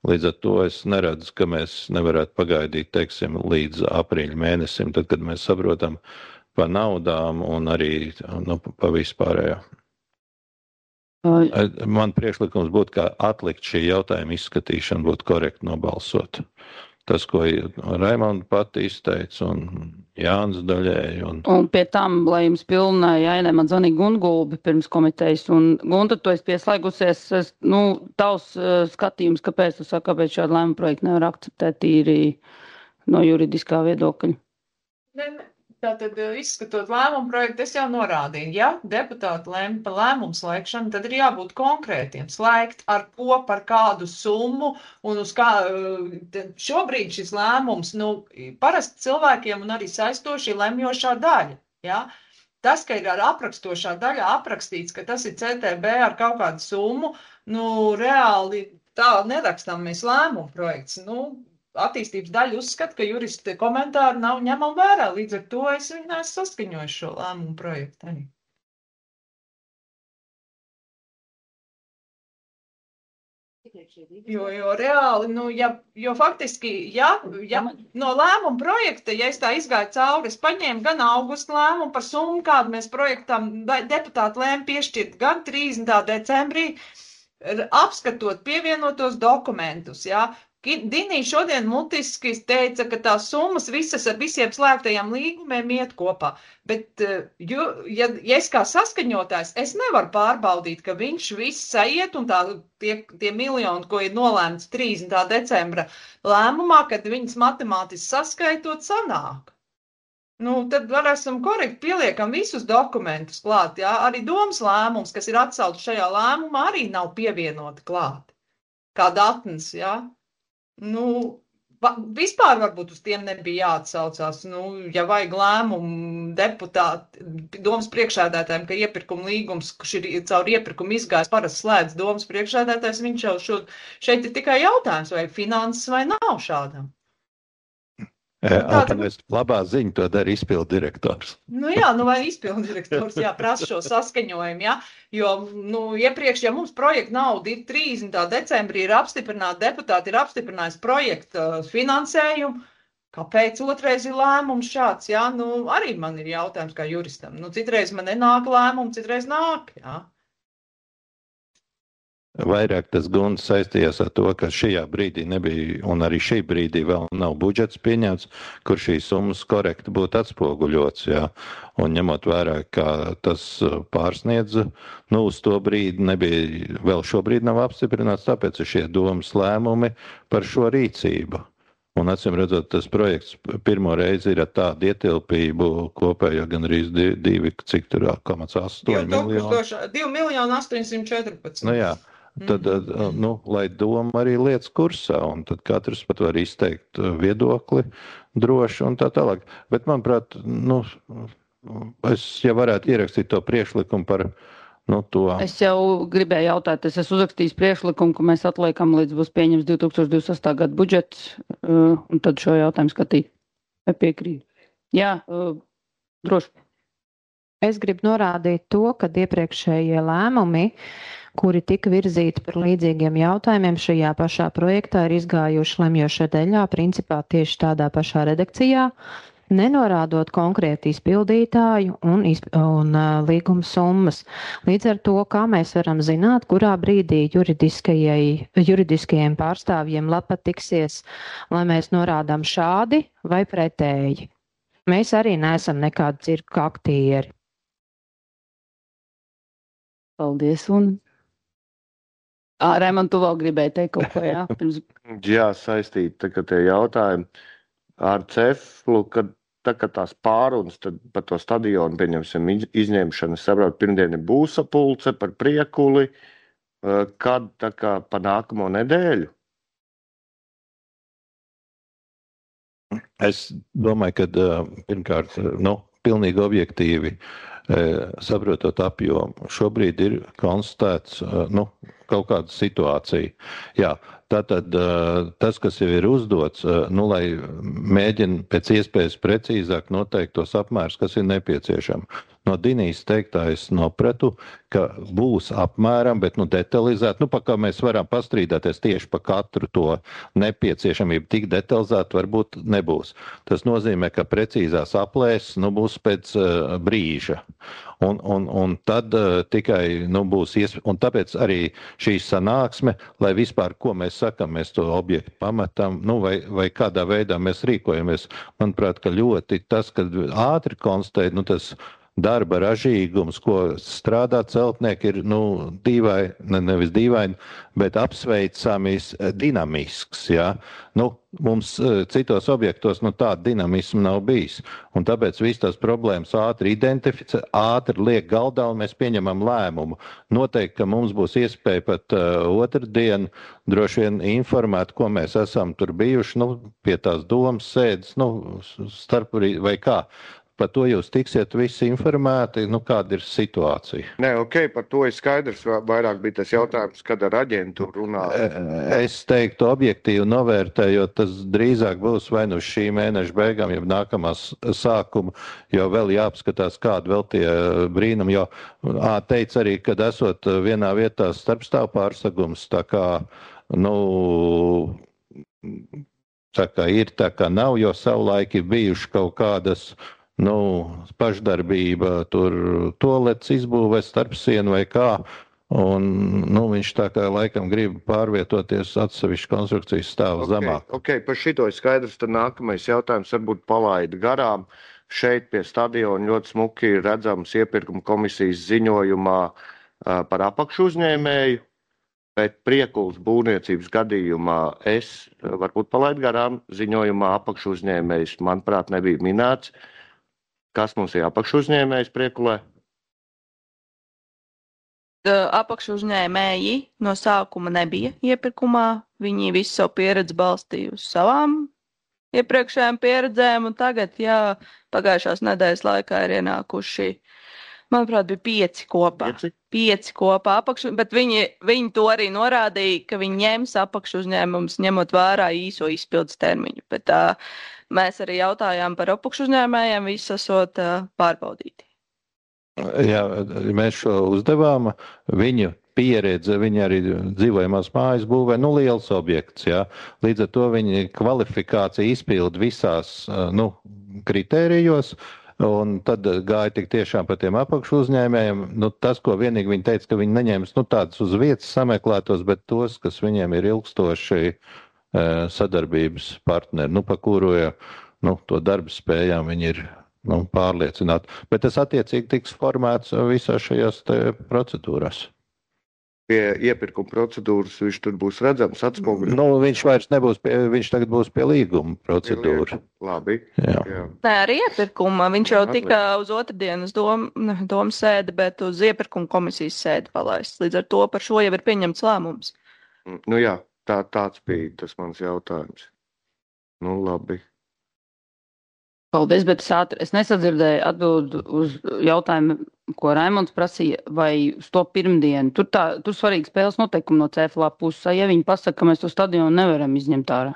Līdz ar to es neredzu, ka mēs nevarētu pagaidīt, teiksim, līdz aprīļa mēnesim, tad, kad mēs saprotam pa naudām un arī pa vispārējā. Man priekšlikums būtu, ka atlikt šī jautājuma izskatīšanu būtu korekti nobalsot. Tas, ko Raimonda pati izteica un Jānis daļēji. Un pie tam, lai jums pilnā jāinē, man zvanīja Gungulbi pirms komitejas, un Gunta, tu esi pieslēgusies, tavs skatījums, kāpēc tu saki, kāpēc šādu lēmumu projektu nevar akceptēt tīri no juridiskā viedokļa? Tātad, izskatot lēmumu projektu, es jau norādīju, ja deputāti lēma par lēmumu slēgšanu, tad ir jābūt konkrētiem. Slēgt ar ko, par kādu summu, un uz kā šobrīd šis lēmums, parasti cilvēkiem un arī saistoši lemjošā daļa, ja? Tas, ka ir ar aprakstošā daļa aprakstīts, ka tas ir CTB ar kaut kādu summu, reāli tā nerakstam mēs lēmumu projekts, attīstības daļa uzskata, ka juristi komentāri nav ņemam vērā, līdz ar to es viņu neesmu saskaņojuši šo lēmumu projektu arī. Jo reāli, jo faktiski, ja no lēmuma projekta, ja es tā izgāju cauri, es paņēmu gan augusta lēmumu par summu, kādu mēs projektam deputāti lēma piešķirt, gan 30. decembrī, apskatot pievienotos dokumentus, ja. Dinī šodien mutiski teica, ka tās summas visas ar visiem slēgtajiem līgumiem iet kopā, bet ja es kā saskaņotājs, es nevaru pārbaudīt, ka viņš viss aiet un tie miljoni, ko ir nolēmts 30. decembra lēmumā, kad viņas matemātiski saskaitot sanāk. Tad esam korekti pieliekam visus dokumentus klāt, jā, arī domas lēmums, kas ir atsaukts šajā lēmumā, arī nav pievienoti klāt, kā datnes, jā. Vispār varbūt uz tiem nebija jāatsaucās, ja vajag lēmumu deputāti, domas priekšsēdētājiem, ka iepirkuma līgums, kurš ir caur iepirkumu izgājis, parasti slēdz domas priekšsēdētājs, viņš jau šeit ir tikai jautājums, vai finanses vai nav šādam. Labā ziņa to dara izpildu direktors. Vai izpildu direktors, prasa šo saskaņojumu, jā, jo, iepriekš, ja mums projekta nauda ir 30. decembrī ir apstiprināta, deputāti ir apstiprinājis projekta finansējumu, kāpēc otrais ir lēmums šāds, jā, arī man ir jautājums kā juristam, citreiz man nenāk lēmumu, citreiz nāk, jā. Vairāk tas Gunts saistījās ar to, ka šajā brīdī nebija, un arī šī brīdī vēl nav budžets pieņemts, kur šīs summas korekti būtu atspoguļots, jā. Un ņemot vērā, ka tas pārsniedz, uz to brīdi nebija, vēl šobrīd nav apstiprināts, tāpēc ir šie domas lēmumi par šo rīcību. Un acīm redzot, tas projekts pirmo reizi ir ar tādu ietilpību kopējo gan arī 2,8 miljonu. 2,814. Jā. Tad, lai doma arī lietas kursā, un tad katrs pat var izteikt viedokli droši un tā tālāk. Bet, manuprāt, es jau varētu ierakstīt to priekšlikumu par to. Es jau gribēju jautāt, es esmu uzrakstījis priekšlikumu, ka mēs atliekam līdz būs pieņems 2028. gada budžets, un tad šo jautājumu skatīt. Vai piekrīt? Jā, droši. Es gribu norādīt to, ka iepriekšējie lēmumi, kuri tika virzīti par līdzīgiem jautājumiem šajā pašā projektā, ir izgājuši lemjošā daļā, principā tieši tādā pašā redakcijā, nenorādot konkrēti izpildītāju un līguma summas. Līdz ar to, kā mēs varam zināt, kurā brīdī juridiskajiem pārstāvjiem lapa tiksies, lai mēs norādām šādi vai pretēji. Mēs arī neesam nekādi cirku aktieri. Paldies, un Raimond, tu vēl gribēji teikt kaut ko, jā? Jā, saistīt, ka tie jautājumi ar Ceflu, kad tās pārunas par to stadionu, pieņemsim, izņemšanu, saprot, pirmdien ir būsapulce par priekuli, kad pa nākamo nedēļu? Es domāju, ka pirmkārt, pilnīgi objektīvi saprotot apjomu, šobrīd ir konstatēts, kaut kāda situācija. Jā, tātad tas, kas jau ir uzdots, lai mēģina pēc iespējas precīzāk noteikt tos apmērus, kas ir nepieciešami. No Dinijas teiktā es nopratu, ka būs apmēram, bet detalizēt, pa kā mēs varam pastrīdēties tieši pa katru to nepieciešamību, tik detalizēt varbūt nebūs. Tas nozīmē, ka precīzās aplēses būs pēc brīža. Un tad tikai būs iespēja, un tāpēc arī šī sanāksme, lai vispār, ko mēs sakam, mēs to objektu pametam, vai kādā veidā mēs rīkojamies. Manuprāt, ka ļoti tas, kad ātri konstatēt, tas darba ražīgums, ko strādā celtnieki, ir nevis dīvaini, bet apsveicams dinamisks. Ja? Mums citos objektos tāda dinamisma nav bijis. Un tāpēc viss tās problēmas ātri identificē, ātri liek galdā un mēs pieņemam lēmumu. Noteikti, ka mums būs iespēja pat otrdien droši vien informēt, ko mēs esam tur bijuši, pie tās domas sēdes, vai kā. Par to jūs tiksiet visi informēti, kāda ir situācija. Nē, par to ir skaidrs, vairāk bija tas jautājums, kad ar aģentūru runā. Es teiktu objektīvi novērtējot, tas drīzāk būs vai šī mēneša beigām, jau nākamās sākuma, jo vēl jāapskatās, kāda vēl tie brīnumi, jo teica arī, kad esot vienā vietā starpstāv pārsagums, tā kā ir, tā kā nav, jo savulaik ir bijuši kaut kādas pašdarbība, tur toalets izbūvē starp sienu vai kā, un viņš tā kā laikam grib pārvietoties atsevišķu konstrukcijas stāvu zemāk. Par šito ir skaidrs, tad nākamais jautājums varbūt palaida garām. Šeit pie stadiona ļoti smuki ir redzams iepirkuma komisijas ziņojumā par apakšu uzņēmēju, bet Priekulas būvniecības gadījumā es varbūt palaidu garām ziņojumā apakšu uzņēmējs, manuprāt, nebija minēts. Kas mums ir apakšu uzņēmējs Priekulē? Apakšu uzņēmēji no sākuma nebija iepirkumā. Viņi visu savu pieredzi balstīja uz savām iepriekšējām pieredzēm, un tagad, pagājušās nedēļas laikā ir ienākuši, manuprāt, bija 5 kopā. 5 kopā apakšu, bet viņi to arī norādīja, ka viņi ņems apakšu uzņēmumus, ņemot vērā īso izpildes termiņu. Bet mēs arī jautājām par apakšu uzņēmējiem, visi esot pārbaudīti. Jā, mēs šo uzdevām. Viņu pieredze, viņi arī dzīvojamās mājas būvē, liels objekts. Jā. Līdz ar to viņi kvalifikācija izpilda visās kritērijos. Un tad gāja tik tiešām par tiem apakšu uzņēmējiem. Tas, ko vienīgi viņi teica, ka viņi neņems tādus uz vietas sameklētos, bet tos, kas viņiem ir ilgstoši sadarbības partneri, pa kuru to darba spējām viņi ir pārliecināti. Bet tas attiecīgi tiks formēts visās šajās procedūrās. Pie iepirkuma procedūras viņš tur būs redzams atspoguļots. Viņš vairs nebūs, viņš tagad būs pie līguma procedūra. Labi. Jā. Nē, arī iepirkuma. Viņš jau tika uz otrdienas domas sēdi, bet uz iepirkuma komisijas sēdi palaists. Līdz ar to par šo jau ir pieņemts lēmums. Jā, tāds bija tas mans jautājums. Labi. Paldies, bet es nesadzirdēju atbildi uz jautājumu, ko Raimonds prasīja, vai uz to pirmdienu. Tur svarīgi spēles noteikumi no CFLA puses. Ja viņi pasaka, ka mēs to stadionu nevaram izņemt ārā.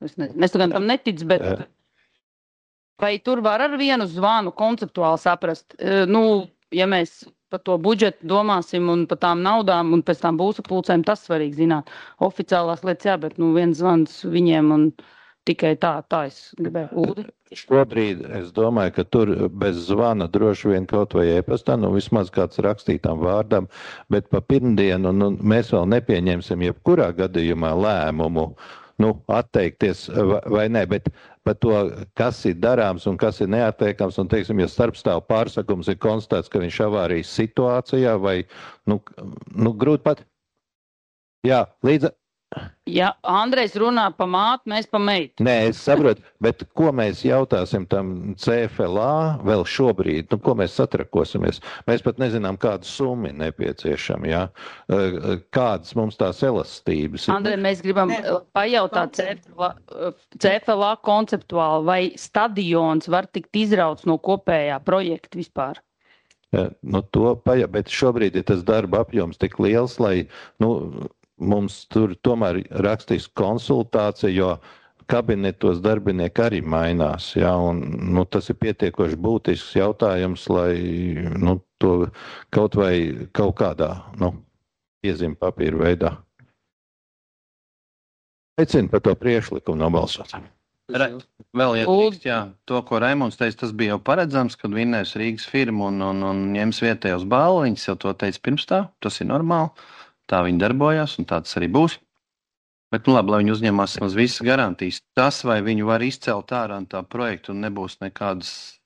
Es tagad tam neticu, bet vai tur var ar vienu zvanu konceptuāli saprast? Ja mēs par to budžetu domāsim un par tām naudām un pēc tām būsapulcēm, tas svarīgi zināt. Oficiālās lietas, bet viens zvans viņiem un tikai tā es gribēju. Uldi? Šobrīd es domāju, ka tur bez zvana droši vien kaut vai e-pastā, vismaz kāds rakstītām vārdam, bet pa pirmdienu mēs vēl nepieņemsim jebkurā gadījumā lēmumu, atteikties vai ne, bet par to, kas ir darāms un kas ir neatteikams, un, teiksim, ja starpstāv pārsakums ir konstatēts, ka viņš avārijas situācijā vai, grūti pat. Jā, līdz Ja Andrejs runā pa māti, mēs pa meitu. Nē, es saprotu, bet ko mēs jautāsim tam CFLA vēl šobrīd? Nu, ko mēs satrakosimies? Mēs pat nezinām, kādu summu nepieciešama, ja? Kādas mums tās elastības ir. Andrej, mēs gribam pajautāt CFLA konceptuāli, vai stadions var tikt izrauts no kopējā projekta vispār? Nu, bet šobrīd ir tas darba apjoms tik liels, lai, mums tur tomēr rakstīs konsultācija, jo kabinetos darbinieki arī mainās, ja, un, tas ir pietiekoši būtisks jautājums, lai, to kaut vai kaut kādā, piezīme papīra veidā. Aicinu par to priekšlikumu nobalsot. Vēl ietrīkst, to, ko Raimonds teica, tas bija jau paredzams, kad vinnēs Rīgas firma un ņems vietējos balliņus, jau to teica pirms tā, tas ir normāli. Tā viņi darbojās, un tā tas arī būs. Bet, labi, lai viņi uzņemās visas garantijas. Tas, vai viņi var izcelt ārā no tā projektu un nebūs nekādas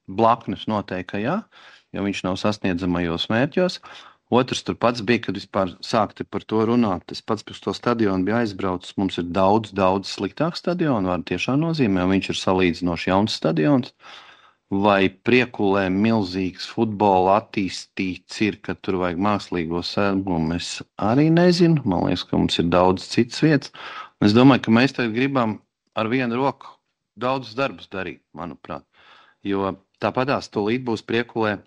blaknes noteikti, jo viņš nav sasniedzamajos mērķos. Otrs tur pats bija, kad vispār sākti par to runāt. Es pats pēc to stadionu bija aizbraucis. Mums ir daudz sliktāks stadionu, var tiešām nozīmē, viņš ir salīdzinoši jauns stadions. Vai Priekulē milzīgs futbola attīstīts ir, ka tur vajag mākslīgo sēdmumu, es arī nezinu. Man liekas, ka mums ir daudz citas vietas. Es domāju, ka mēs tagad gribam ar vienu roku daudz darbus darīt, manuprāt. Jo tāpatās tūlīt būs Priekulē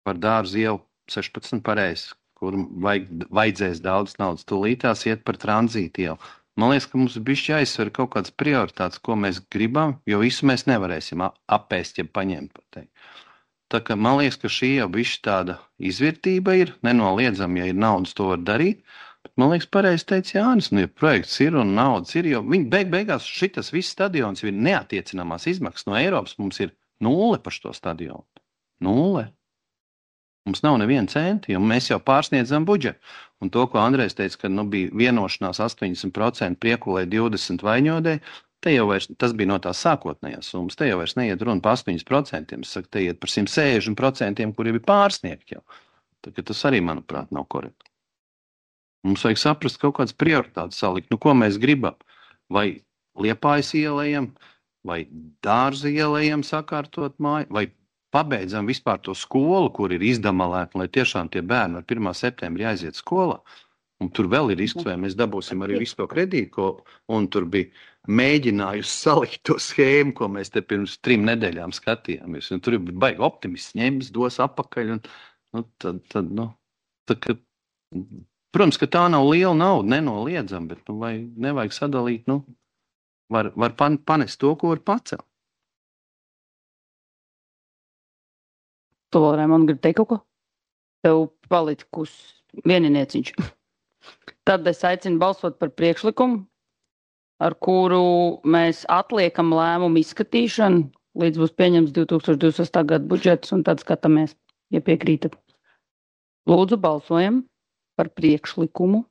par Dārzu ielu 16 pareizi, kur vajadzēs daudz naudas. Tūlītās iet par tranzītu ielu. Man liekas, ka mums bišķi jāizsver kaut kādas prioritātes, ko mēs gribam, jo visu mēs nevarēsim apēst, ja paņemt. Tā kā man liekas, ka šī jau bišķi tāda izvērtība ir, nenoliedzami, ja ir naudas, to var darīt. Bet man liekas, pareizi teica Jānis, ja projekts ir un naudas ir, jo viņi beigās šitas viss stadions ir neatiecināmās izmaksas no Eiropas, mums ir 0 par šo stadionu. 0. Mums nav neviena centa, jo mēs jau pārsniedzam budžetu. Un to, ko Andrejs teica, ka bija vienošanās 80% Priekulē 20 Vaņodē, tas bija no tās sākotnējās summas. Te jau vairs neiet runa par 8%, es saku, te iet par 160%, kuri bija pārsniegti jau. Tā, tas arī, manuprāt, nav korekti. Mums vajag saprast kaut kādas prioritātes salikt. Ko mēs gribam? Vai Liepājas ielējam, vai Dārza ielējam sakārtot māju, vai pabeidzam vispār to skolu, kur ir izdamalēta, lai tiešām tie bērni ar 1. septembrī aiziet skolā. Un tur vēl ir risks, vai mēs dabūsim arī visu to kredītu, un tur bija mēģinājusi salikt to schēmu, ko mēs te pirms 3 nedēļām skatījāmies. Un tur bija baigi optimists, ņems, dos apakaļ. Protams, ka tā nav liela nauda, nenoliedzam, bet nevajag sadalīt, var panest to, ko var pacelt. Tu vēl, Raimond, gribi teikt kaut ko? Tev palikus vieninieciņš. Tad es aicinu balsot par priekšlikumu, ar kuru mēs atliekam lēmumu izskatīšanu, līdz būs pieņems 2028. gada budžets, un tad skatāmies, ja piekrītat. Lūdzu, balsojam par priekšlikumu.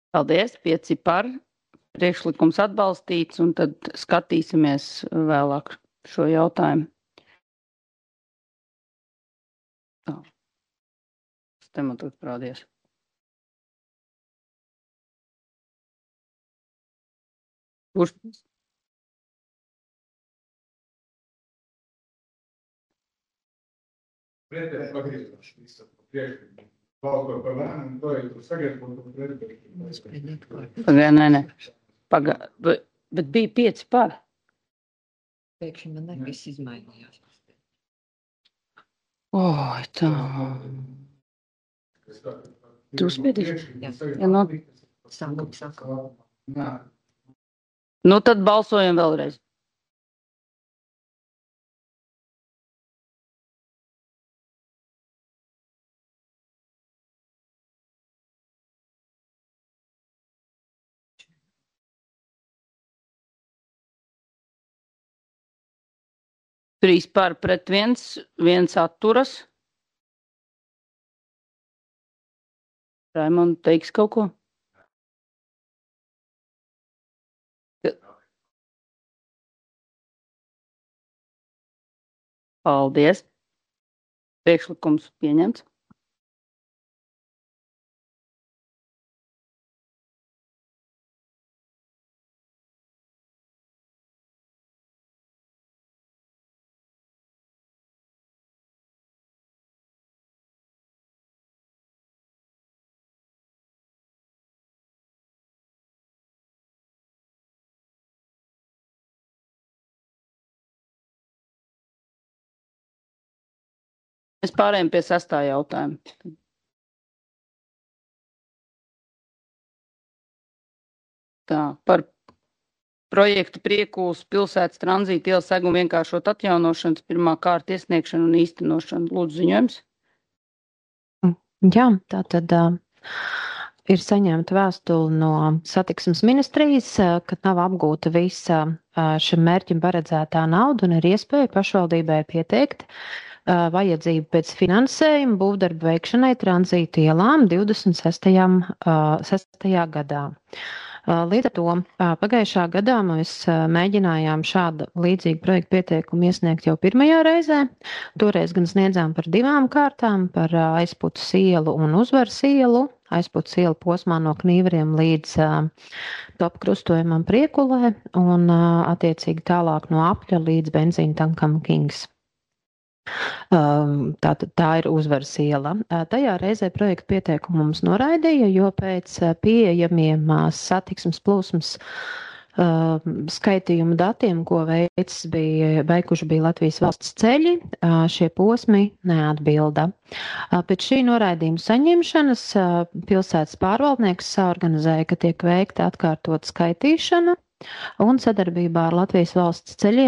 Paldies, 5 par, priekšlikums atbalstīts, un tad skatīsimies vēlāk šo jautājumu. Tā, man tur prādies. Kurš? Nē. Bet bija 5 par. Pēkšņi man nevis izmainījās. Oi, tā. Tu uzspiedīsi? Jā. Sākam. Nu, tad balsojam vēlreiz. 3 par pret 1 atturas. Raimond, teiks kaut ko? Paldies. Priekšlikums pieņemts. Mēs pārējām pie 6. jautājuma. Tā, par projektu Priekūlas pilsētas tranzīta ielas seguma vienkāršot atjaunošanas pirmā kārta iesniegšanu un īstenošanu. Lūdzu, ziņojums. Jā, tātad ir saņemta vēstule no satiksmes ministrijas, ka nav apgūta visa šim mērķim paredzētā nauda un ir iespēja pašvaldībai pieteikt vajadzību pēc finansējuma būvdarbu veikšanai tranzīta ielām 26. gadā. Līdz ar to pagājušā gadā mēs mēģinājām šādu līdzīgu projektu pieteikumu iesniegt jau pirmajā reizē. Toreiz gan sniedzām par 2 kārtām, par Aizputas ielu un Uzvaras ielu. Aizputas iela posmā no Knīveriem līdz top krustojumam Priekulē un attiecīgi tālāk no Apļa līdz benzīna tankam Kings. Tā ir Uzvaras iela. Tajā reizē projektu pieteikumu mums noraidīja, jo pēc pieejamiem satiksmes plūsmas skaitījuma datiem, ko veikuši bija Latvijas valsts ceļi, šie posmi neatbilda. Pēc šī noraidījuma saņemšanas pilsētas pārvaldnieks saorganizēja, ka tiek veikta atkārtot skaitīšana un sadarbībā ar Latvijas valsts ceļiem